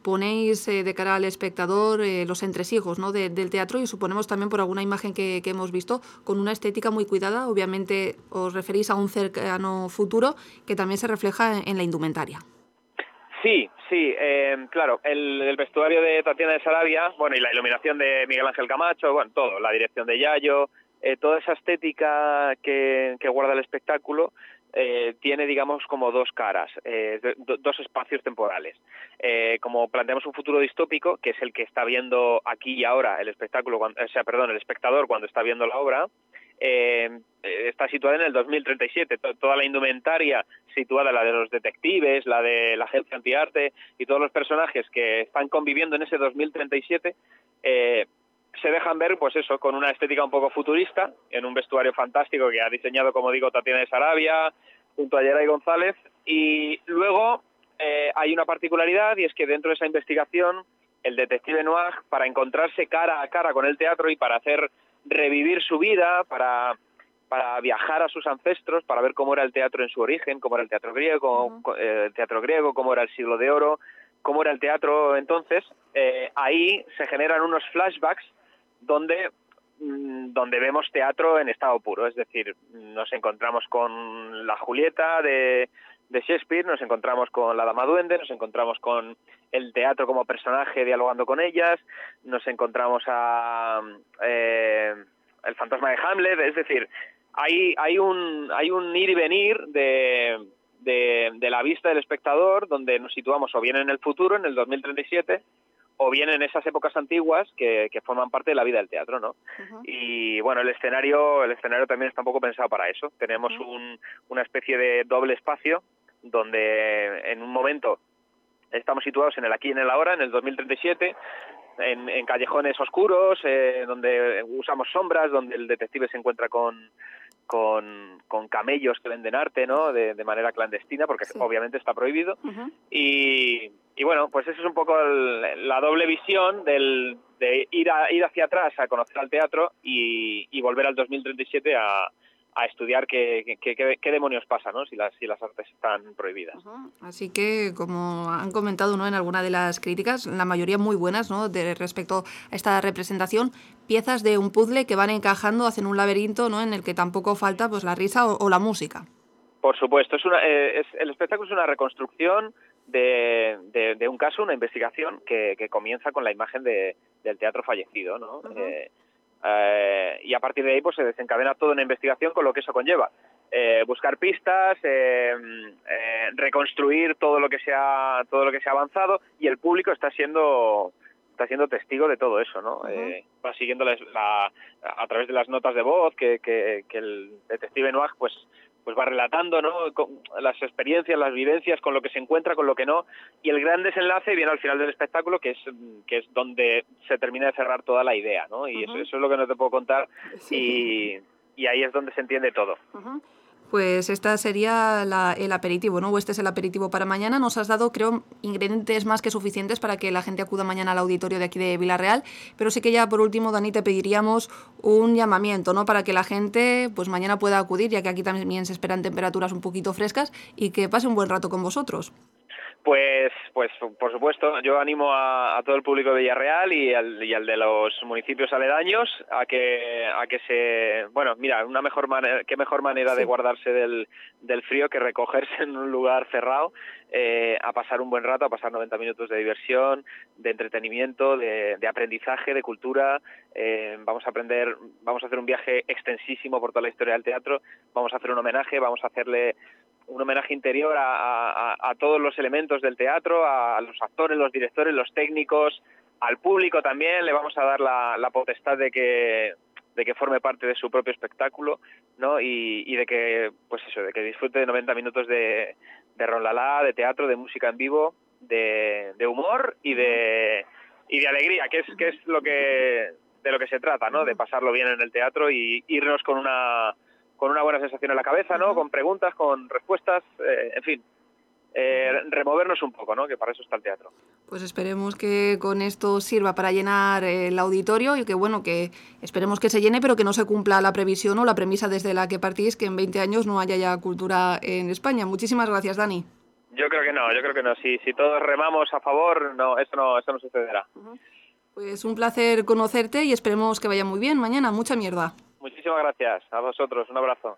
ponéis de cara al espectador los entresijos, ¿no? del teatro, y suponemos también por alguna imagen que hemos visto con una estética muy cuidada. Obviamente os referís a un cercano futuro que también se refleja en la indumentaria. Sí, Sí, claro, el vestuario de Tatiana de Sarabia, bueno, y la iluminación de Miguel Ángel Camacho, bueno, todo, la dirección de Yayo, toda esa estética que guarda el espectáculo tiene, digamos, como dos caras, dos espacios temporales. Como planteamos un futuro distópico, que es el que está viendo aquí y ahora el espectáculo, el espectador cuando está viendo la obra, está situada en el 2037, toda la indumentaria situada, la de los detectives, la de la agencia antiarte y todos los personajes que están conviviendo en ese 2037 se dejan ver, pues eso, con una estética un poco futurista, en un vestuario fantástico que ha diseñado, como digo, Tatiana de Sarabia junto a Yeray González. Y luego hay una particularidad, y es que dentro de esa investigación el detective Noir, para encontrarse cara a cara con el teatro y para hacer revivir su vida, para viajar a sus ancestros, para ver cómo era el teatro en su origen, cómo era el teatro griego, cómo era el siglo de oro, cómo era el teatro entonces, ahí se generan unos flashbacks donde vemos teatro en estado puro, es decir, nos encontramos con la Julieta de Shakespeare, nos encontramos con la Dama Duende, nos encontramos con el teatro como personaje dialogando con ellas, nos encontramos a el fantasma de Hamlet, es decir, hay un ir y venir de la vista del espectador, donde nos situamos o bien en el futuro, en el 2037, o bien en esas épocas antiguas que forman parte de la vida del teatro, ¿no? Uh-huh. Y bueno, el escenario también está un poco pensado para eso. Tenemos una especie de doble espacio donde en un momento estamos situados en el aquí y en el ahora, en el 2037, en callejones oscuros, donde usamos sombras, donde el detective se encuentra con camellos que venden arte, ¿no? De manera clandestina, porque sí, obviamente está prohibido. Uh-huh. Y bueno, pues eso es un poco la doble visión de ir hacia atrás a conocer al teatro y volver al 2037 a estudiar qué demonios pasa, ¿no? Si las artes están prohibidas. Uh-huh. Así que, como han comentado, ¿no?, en alguna de las críticas, la mayoría muy buenas, ¿no?, respecto a esta representación, piezas de un puzzle que van encajando, hacen un laberinto, ¿no?, en el que tampoco falta pues la risa o la música. Por supuesto, el espectáculo es una reconstrucción de un caso, una investigación que comienza con la imagen del teatro fallecido, ¿no? Uh-huh. Y a partir de ahí pues se desencadena toda una investigación con lo que eso conlleva. Buscar pistas, reconstruir todo lo que se ha avanzado, y el público está siendo testigo de todo eso, ¿no? Uh-huh. Va siguiendo a través de las notas de voz que el detective Noir pues va relatando, ¿no?, con las experiencias, las vivencias, con lo que se encuentra, con lo que no, y el gran desenlace viene al final del espectáculo, que es donde se termina de cerrar toda la idea, ¿no? Y uh-huh, eso es lo que no te puedo contar, sí, y ahí es donde se entiende todo. Uh-huh. Pues esta sería el aperitivo, ¿no? O este es el aperitivo para mañana. Nos has dado, creo, ingredientes más que suficientes para que la gente acuda mañana al auditorio de aquí de Vila-real, pero sí que ya por último, Dani, te pediríamos un llamamiento, ¿no?, para que la gente pues mañana pueda acudir, ya que aquí también se esperan temperaturas un poquito frescas, y que pase un buen rato con vosotros. Pues por supuesto, yo animo a todo el público de Villarreal y al de los municipios aledaños a que bueno, mira, qué mejor manera sí, de guardarse del frío que recogerse en un lugar cerrado, a pasar un buen rato, a pasar 90 minutos de diversión, de entretenimiento, de aprendizaje, de cultura. Vamos a hacer un viaje extensísimo por toda la historia del teatro, vamos a hacer un homenaje, vamos a hacerle un homenaje interior a todos los elementos del teatro, a los actores, los directores, los técnicos, al público también. Le vamos a dar la potestad de que forme parte de su propio espectáculo, ¿no? Y de que disfrute de 90 minutos de ronlalá, de teatro, de música en vivo, de humor y de alegría, que es de lo que se trata, ¿no? De pasarlo bien en el teatro y irnos con una buena sensación en la cabeza, ¿no? Con preguntas, con respuestas, en fin, removernos un poco, ¿no? Que para eso está el teatro. Pues esperemos que con esto sirva para llenar el auditorio, y que esperemos que se llene, pero que no se cumpla la previsión o la premisa desde la que partís, que en 20 años no haya ya cultura en España. Muchísimas gracias, Dani. Yo creo que no. Si todos remamos a favor, eso no sucederá. Uh-huh. Pues un placer conocerte y esperemos que vaya muy bien mañana. Mucha mierda. Muchísimas gracias a vosotros, un abrazo.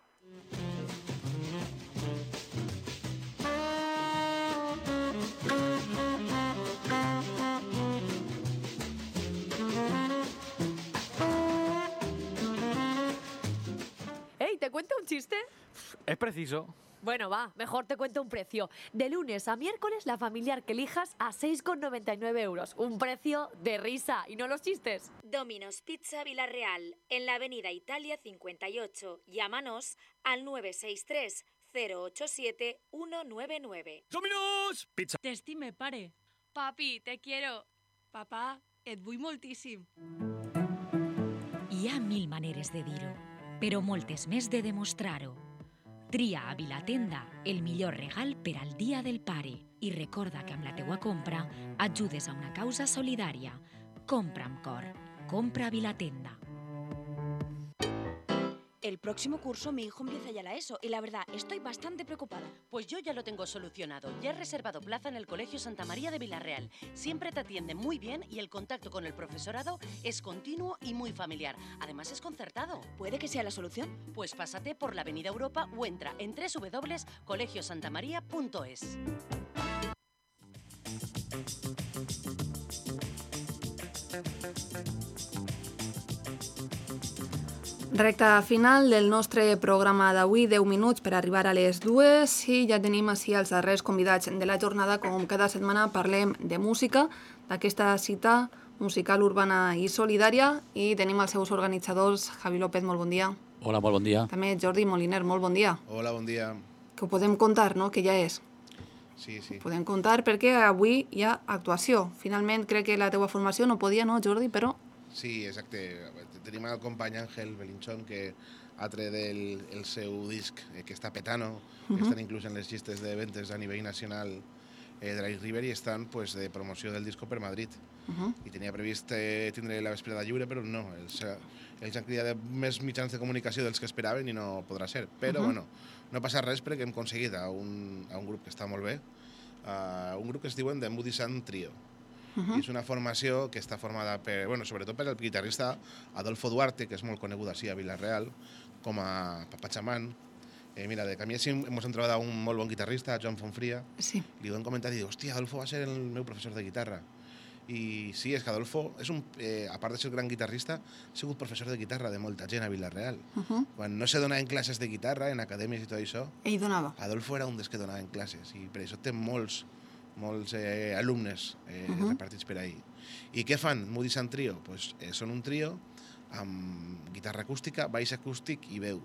Es preciso. Bueno, va, mejor te cuento un precio. De lunes a miércoles, la familiar que elijas a 6,99 euros. Un precio de risa, y no los chistes. Domino's Pizza Villarreal, en la avenida Italia 58. Llámanos al 963 087 199. Domino's Pizza. T'estime, pare. Papi, te quiero. Papà, et vull moltíssim. Hi ha 1000 maneres de dir-ho, però moltes més de demostrar-ho. Tria a Vilatenda el millor regal per al Dia del Pare i recorda que amb la teua compra ajudes a una causa solidària. Compra amb cor. Compra a Vilatenda. El próximo curso mi hijo empieza ya la ESO y la verdad estoy bastante preocupada. Pues yo ya lo tengo solucionado. Ya he reservado plaza en el Colegio Santa María de Villarreal. Siempre te atienden muy bien y el contacto con el profesorado es continuo y muy familiar. Además es concertado. ¿Puede que sea la solución? Pues pásate por la Avenida Europa o entra en www.colegiosantamaria.es. Recta final del nostre programa d'avui, 10 minuts per arribar a les 2 i ja tenim així els darrers convidats de la jornada. Com cada setmana parlem de música, d'aquesta cita musical urbana i solidària, i tenim els seus organitzadors. Javi López, molt bon dia. Hola, molt bon dia. També Jordi Moliner, molt bon dia. Hola, bon dia. Que ho podem contar, no?, que ja és. Sí. Ho podem contar perquè avui hi ha actuació. Finalment crec que la teua formació no podia, no, Jordi, però... Sí, exacte. Tenim el company Àngel Belinchón, que ha tret el seu disc, que està petano, estan inclús en les llistes de ventes a nivell nacional de l'Ice River i estan de promoció del disco per Madrid. I tenia previst tindre la vesprada lliure, però no. Ells han cridat més mitjans de comunicació dels que esperaven i no podrà ser. Però, bueno, no passa res perquè hem aconseguit a un grup que està molt bé, un grup que es diuen The Moody Sun Trio. És una formació que està formada sobretot per el guitarrista Adolfo Duarte, que és molt conegut així a Vila-real, com a papachamán. Mira, de camí així hem trobat un molt bon guitarrista, Joan Fonfria. Li ho hem comentat i diu, hòstia, Adolfo va ser el meu professor de guitarra. I sí, és que Adolfo, a part de ser gran guitarrista, ha sigut professor de guitarra de molta gent a Vila-real. Quan no se donaven classes de guitarra, en acadèmies i tot això, ell donava. Adolfo era un dels que donaven classes i per això té molts alumnes repartits per ahí. I què fan? Moody Sun Trio? Són un trio amb guitarra acústica, baix acústic i veu.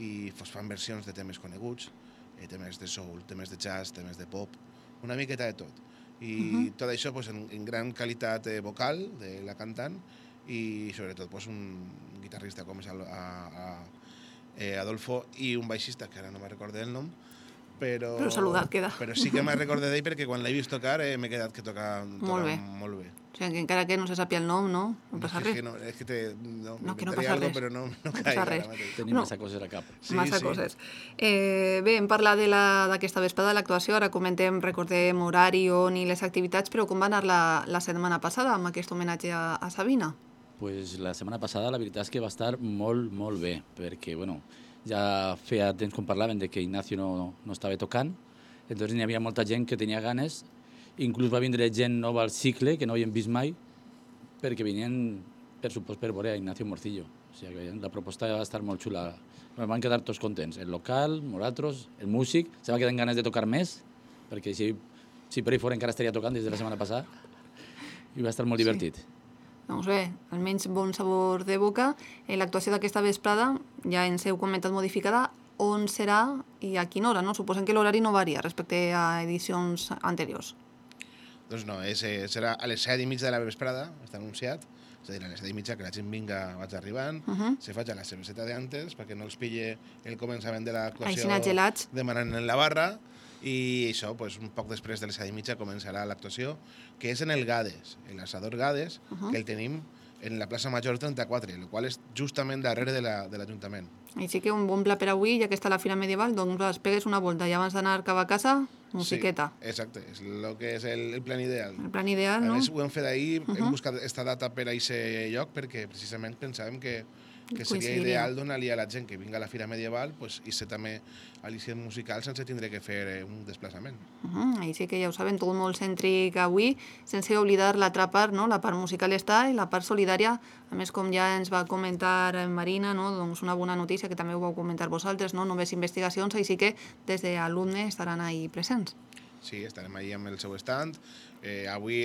I fan versions de temes coneguts, temes de soul, temes de jazz, temes de pop, una miqueta de tot. I tot això en gran qualitat vocal de la cantant i sobretot un guitarrista com és Adolfo i un baixista, que ara no me'n recordo el nom, però saludat queda. Però sí que me'n recordo d'ell perquè quan l'he vist tocar m'he quedat que toca molt bé. O sigui, que encara que no se sàpia el nom, no passa res. És que no passa res. Però no passa res. Tenim massa coses a cap. Massa coses. Bé, hem parlat d'aquesta vesprada de l'actuació, ara recordem horari, on i les activitats, però com va anar la setmana passada amb aquest homenatge a Sabina? Pues la setmana passada la veritat és que va estar molt, molt bé, perquè, ja feia temps com parlaven de que Ignacio no estava tocant, entonces n'hi havia molta gent que tenia ganes, inclús va vindre gent nova al cicle, que no havien vist mai, perquè venien, per supost, per veure a Ignacio Morcillo. O sigui, la proposta va estar molt xula. Van quedar tots contents. El local, nosaltres, el músic, se va quedar amb ganes de tocar més, perquè si per ahí fora encara estaria tocant des de la setmana passada, i va estar molt divertit. Doncs bé, almenys bon sabor de boca. L'actuació d'aquesta vesprada, ja ens heu comentat modificada, on serà i a quina hora, no? Suposem que l'horari no varia respecte a edicions anteriors. Doncs no, serà a les 7:30 de la vesprada, està anunciat, és a dir, a les 7:30 que la gent vaig arribant, se faig a la cerveseta d'antes perquè no els pille el començament de l'actuació demanant en la barra, i això, un poc després de les 7:30 començarà l'actuació, que és en el Gades, l'assador Gades, que el tenim en la plaça Major 34, el qual és justament darrere de l'Ajuntament. Així que un bon pla per avui, ja que està la Fira Medieval, doncs pegues una volta i abans d'anar cap a casa, musiqueta. Sí, exacte, és el que és el plan ideal. El plan ideal, no? A més, ho hem fet ahir, hem buscat aquesta data per a aquest lloc, perquè precisament pensàvem que que seria ideal donar-li a la gent que vinga a la Fira Medieval i ser també al·licient musical sense tindre que fer un desplaçament. Ahí sí que ja ho saben, tot molt cèntric avui, sense oblidar l'altra part, no? La part musical està i la part solidària, a més com ja ens va comentar Marina, no? Doncs una bona notícia que també ho vau comentar vosaltres, no? Només investigacions, així que des d'alumne estaran ahí presents. Sí, estarem ahí amb el seu stand. Avui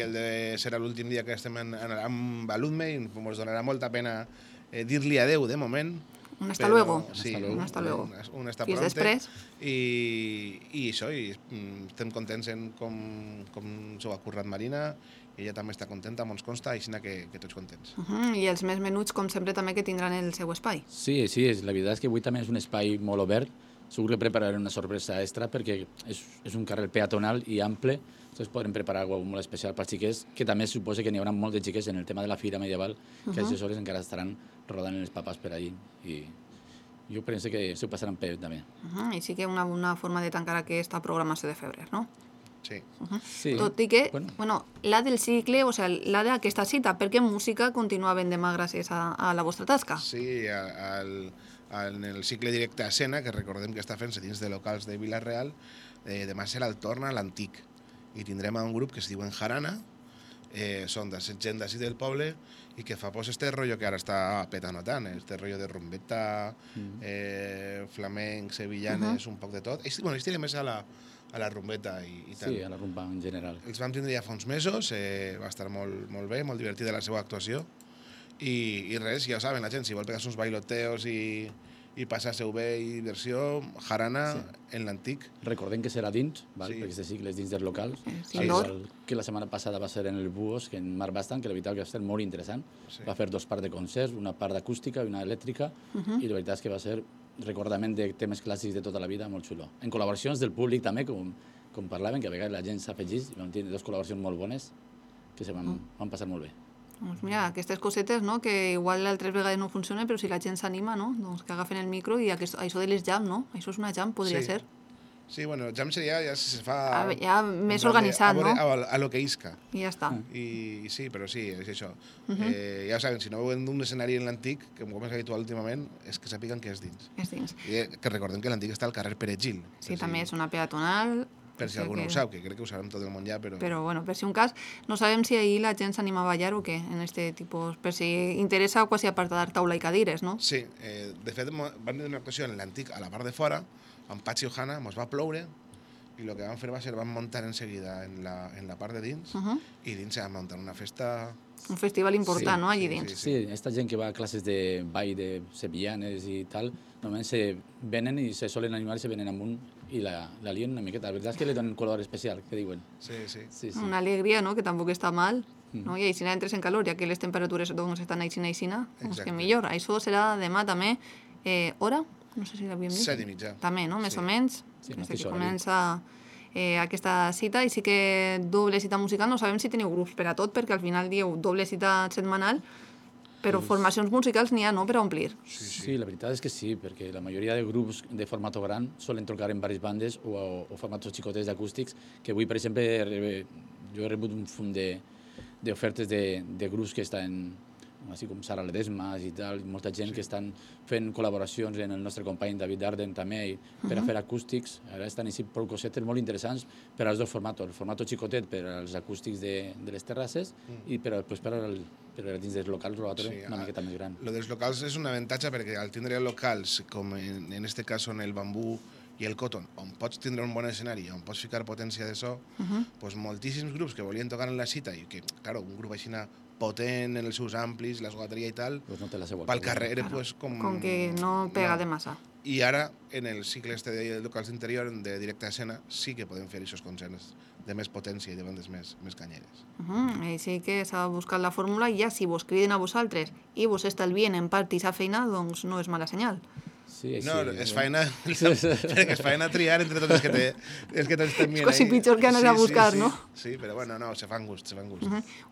serà l'últim dia que estem amb alumne i ens donarà molta pena dir-li adeu de moment. Un hasta luego. Sí, un hasta luego. Un hasta Fins pronte. després. I això, estem contents en com s'ho ha currat Marina, i ella també està contenta, ens consta, així que tots contents. I els més menuts, com sempre, també que tindran el seu espai. Sí, la veritat és que avui també és un espai molt obert. Segur que prepararé una sorpresa extra perquè és un carrer peatonal i ample, doncs podrem preparar alguna cosa molt especial per als xiquets, que també suposa que n'hi haurà molt de xiquets en el tema de la Fira Medieval, que a aquestes hores encara estaran rodant els papàs per allí. I jo penso que s'ho passaran bé també. I sí que una forma de tancar aquesta programació de febrer, no? Sí. Sí. Tot i que, la del cicle, o sigui, la d'aquesta cita, perquè música continua ben demà gràcies a la vostra tasca. Sí, en el cicle directe a escena, que recordem que està fent-se dins de locals de Vila-real, demà serà el torn a l'Antic. I tindrem un grup que es diuen Jarana, són de gent d'ací del poble, i que fa este rotllo que ara està petant tant, este rotllo de rumbeta, flamenc, sevillanes, un poc de tot. Ells tiren més a la rumbeta i tal. Sí, a la rumba en general. Els vam tindre ja fa uns mesos, va estar molt bé, molt divertida la seva actuació, i res, ja ho saben la gent, si vol pegar uns bailoteos i passar-se-ho bé i diversió, Jarana en l'Antic. Recordem que serà dins, perquè este cicle és dins dels locals, que la setmana passada va ser en el Buos, que en Marc Bastant, que la veritat que va ser molt interessant. Va fer 2 parts de concerts, una part d'acústica i una elèctrica, i la veritat és que va ser recordament de temes clàssics de tota la vida, molt xulo. En col·laboracions del públic també, com parlaven, que a vegades la gent s'afegís, i vam tenir 2 col·laboracions molt bones, que se van passar molt bé. Doncs mira, aquestes cosetes, no?, que igual altres vegades no funcionen, però si la gent s'anima, no?, doncs que agafen el micro i això de les jam, no? Això és una jam, podria ser. Sí, bueno, jam seria ja si se fa... Ja més organitzat, no? A lo que isca. I ja està. I sí, però sí, és això. Ja ho saben, si no veuen d'un escenari en l'Antic, que com és habitual últimament, és que sàpiguen que és dins. És dins. I que recordem que l'Antic està al carrer Pere Gil. Sí, també és una peatonal... Per si algú no ho sap, que crec que ho sabem tot el món ja, però... Però, bueno, per si un cas, no sabem si ahir la gent s'anima a ballar o què, en este tipus, per si interessa quasi a part de taula i cadires, no? Sí, de fet, vam tenir una actuació en l'Antic, a la part de fora, amb Patxi Ojana, ens va ploure, i el que vam fer va ser, vam muntar en seguida en la part de dins, i dins vam muntar una festa... Un festival important, no?, allí dins. Sí, aquesta gent que va a classes de ball de sevillanes i tal, normalment se venen i se solen animar i se venen amunt i la lien una miqueta. La veritat és que li donen color especial, que diuen. Sí. Una alegria, no?, que tampoc està mal, no? I així entres en calor, ja que les temperatures doncs estan aixina, doncs que millor. Això serà demà també, hora? No sé si l'havíem dit. 7:30. També, no?, més o menys. Sí, des que comença aquesta cita, i sí que doble cita musical, no sabem si teniu grups per a tot, perquè al final dieu doble cita setmanal, però formacions musicals n'hi ha, no?, per a omplir. Sí, la veritat és que sí, perquè la majoria de grups de formato gran solen tocar en diverses bandes o formatos xicotets d'acústics, que avui, per exemple, jo he rebut un fum d'ofertes de grups que estan així com Sara Ledesmas i tal, molta gent que estan fent col·laboracions en el nostre company David Darden també per a fer acústics. Ara estan així prou cosetes molt interessants per als 2 formatos. El formato xicotet per als acústics de les terrasses i per a dins dels locals una miqueta més gran. Lo dels locals és un avantatge perquè al tindre locals, com en este cas són el Bambú i el Cotton, on pots tindre un bon escenari, on pots ficar potència de so, doncs moltíssims grups que volien tocar en la cita i que, clar, un grup així potent en els seus amplis, l'esgotaria i tal, pel carrer, com que no pega de massa. I ara, en el cicle de locals d'interior, de directe a escena, sí que podem fer aquests concerts de més potència i de bandes més canyeres. Així que s'ha buscat la fórmula i ja si vos criden a vosaltres i vos estalvien en part i sa feina, doncs no és mala senyal. No, és feina triar entre tots els que tots estem mirant. És quasi pitjor que anar a buscar, no? Sí, però bueno, no, se fan gust.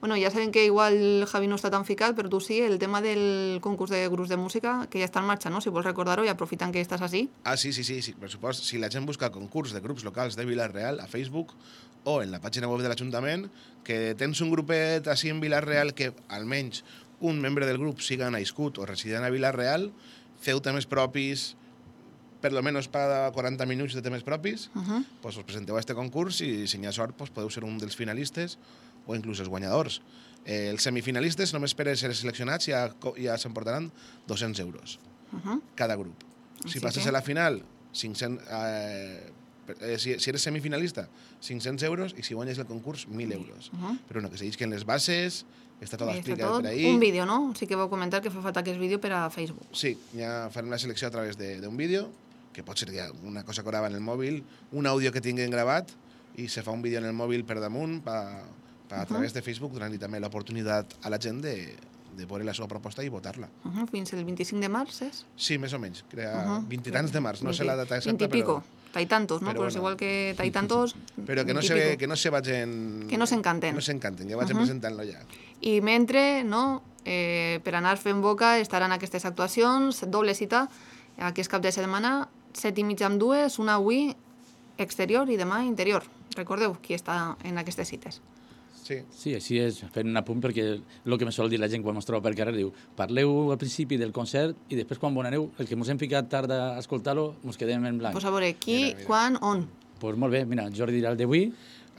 Bueno, ja sabem que igual Javi no està tan ficat, però tu sí, el tema del concurs de grups de música, que ja està en marxa, no? Si vols recordar-ho i aprofitant que estàs així. Sí, per supost. Si la gent busca concurs de grups locals de Vila-real a Facebook o en la pàgina web de l'Ajuntament, que tens un grupet així en Vila-real que almenys un membre del grup siga nascut o resident a Vila-real, feu temes propis, per lo menos para 40 minuts de temes propis, pues us presenteu a este concurs i si n'hi ha sort pues podeu ser un dels finalistes o inclús els guanyadors. Els semifinalistes només per ser seleccionats ja s'emportaran 200 euros cada grup. Si passes a la final, 500, si eres semifinalista, 500 euros i si guanyes el concurs, 1.000 euros. Però no, que se llisquen les bases, està tot explicat per ahí. Un vídeo, no? Sí que vau comentar que fa falta aquest vídeo per a Facebook. Sí, ja farem la selecció a través d'un vídeo, que pot ser una cosa que grava en el mòbil, un àudio que tinguin gravat i se fa un vídeo en el mòbil per damunt a través de Facebook, donant-li també l'oportunitat a la gent de veure la seva proposta i votar-la. Fins el 25 de març, és? Sí, més o menys. 20 i tants de març, no sé la data exacta, 20 i pico. Taitantos, no? Però és igual que taitantos. Però que no se vagin... Que no s'encanten. No s'encanten, ja vagin presentant-lo ja. I mentre, no, per anar fent boca, estaran aquestes actuacions, doble cita, aquest cap de setmana, 7:30 amb 2, una avui exterior i demà interior. Recordeu qui està en aquestes cites. Sí, així és, fent un apunt perquè el que me sol dir la gent quan ens troba per carrer diu parleu al principi del concert i després quan bonareu, el que ens hem ficat tard a escoltar-lo, ens quedem en blanc. Pues a veure, qui, quan, on? Pues molt bé, mira, Jordi dirà el d'avui.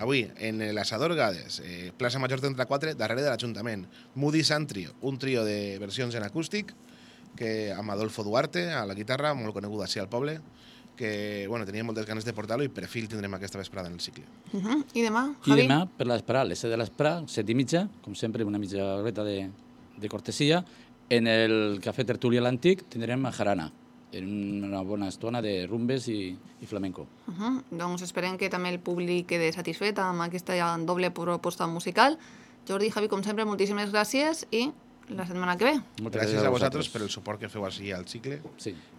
Avui, en l'Assador Gades, plaça Major 34, darrere de l'Ajuntament. Moody Sun Trio, un trio de versions en acústic, que amb Adolfo Duarte, a la guitarra, molt conegut així al poble, que tenia moltes ganes de portar-lo i per fi el tindrem aquesta vesprada en el cicle. I demà, Javi? I demà, per l'esperar, a les 7 de l'esperar, 7:30, com sempre, una mitja horeta de cortesia, en el Cafè Tertúlia l'Antic tindrem a Jarana, en una bona estona de rumbes i flamenco. Doncs esperem que també el públic quede satisfet amb aquesta doble proposta musical. Jordi, Javi, com sempre, moltíssimes gràcies i la setmana que ve. Moltes gràcies a vosaltres per el suport que feu així al cicle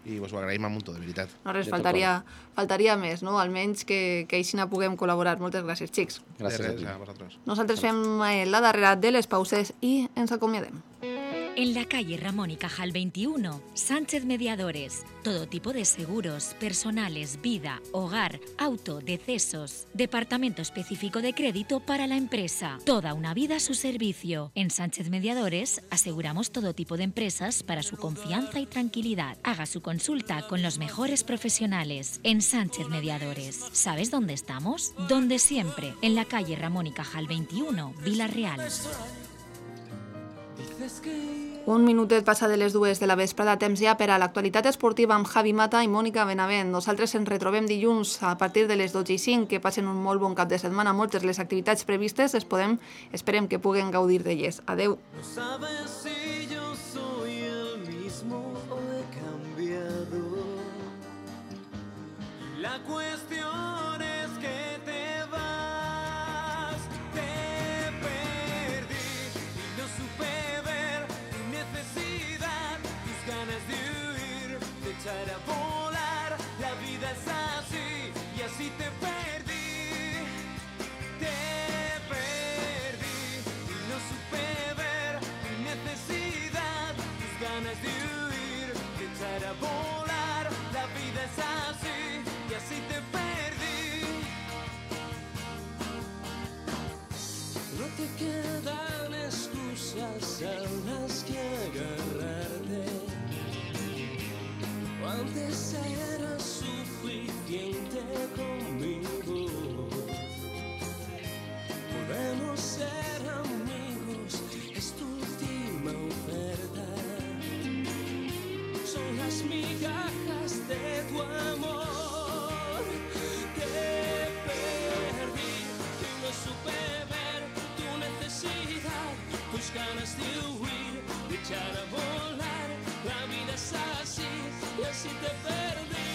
i us ho agraïm a munt, de veritat. No res, faltaria més, no? Almenys que així puguem col·laborar. Moltes gràcies, xics. Gràcies a vosaltres. Nosaltres fem la darrera de les pauses i ens acomiadem. En la calle Ramón y Cajal 21, Sánchez Mediadores. Todo tipo de seguros, personales, vida, hogar, auto, decesos. Departamento específico de crédito para la empresa. Toda una vida a su servicio. En Sánchez Mediadores aseguramos todo tipo de empresas para su confianza y tranquilidad. Haga su consulta con los mejores profesionales. En Sánchez Mediadores. ¿Sabes dónde estamos? Donde siempre. En la calle Ramón y Cajal 21, Vila-real. Un minutet passa de les 2 de la vesprada, temps ja per a l'actualitat esportiva amb Javi Mata i Mònica Benavent. Nosaltres ens retrobem dilluns a partir de les 12:05, que passen un molt bon cap de setmana. Moltes les activitats previstes esperem que puguen gaudir d'elles. Adeu. No sabes si yo soy el mismo o he cambiado. La cuestión es que te vas, te perdí y no supe ver tu necesidad, tus ganas de huir, de echar a volar. La vida es así y así te perdí, y no supe ver tu necesidad, tus ganas de huir, de echar a volar. La vida es así y así te perdí. No te quedan excusas a las que agarrarte. Antes era suficiente conmigo. Podemos ser amigos, es tu última oferta. Son las migajas de tu amor. Te perdí y no supe ver tu necesidad, tus ganas de huir, de echar a volar. La vida es así y así te perdí.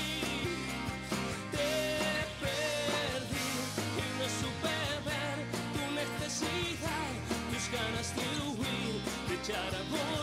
Te perdí y no supe ver tu necesidad, tus ganas de huir, de echar a volar.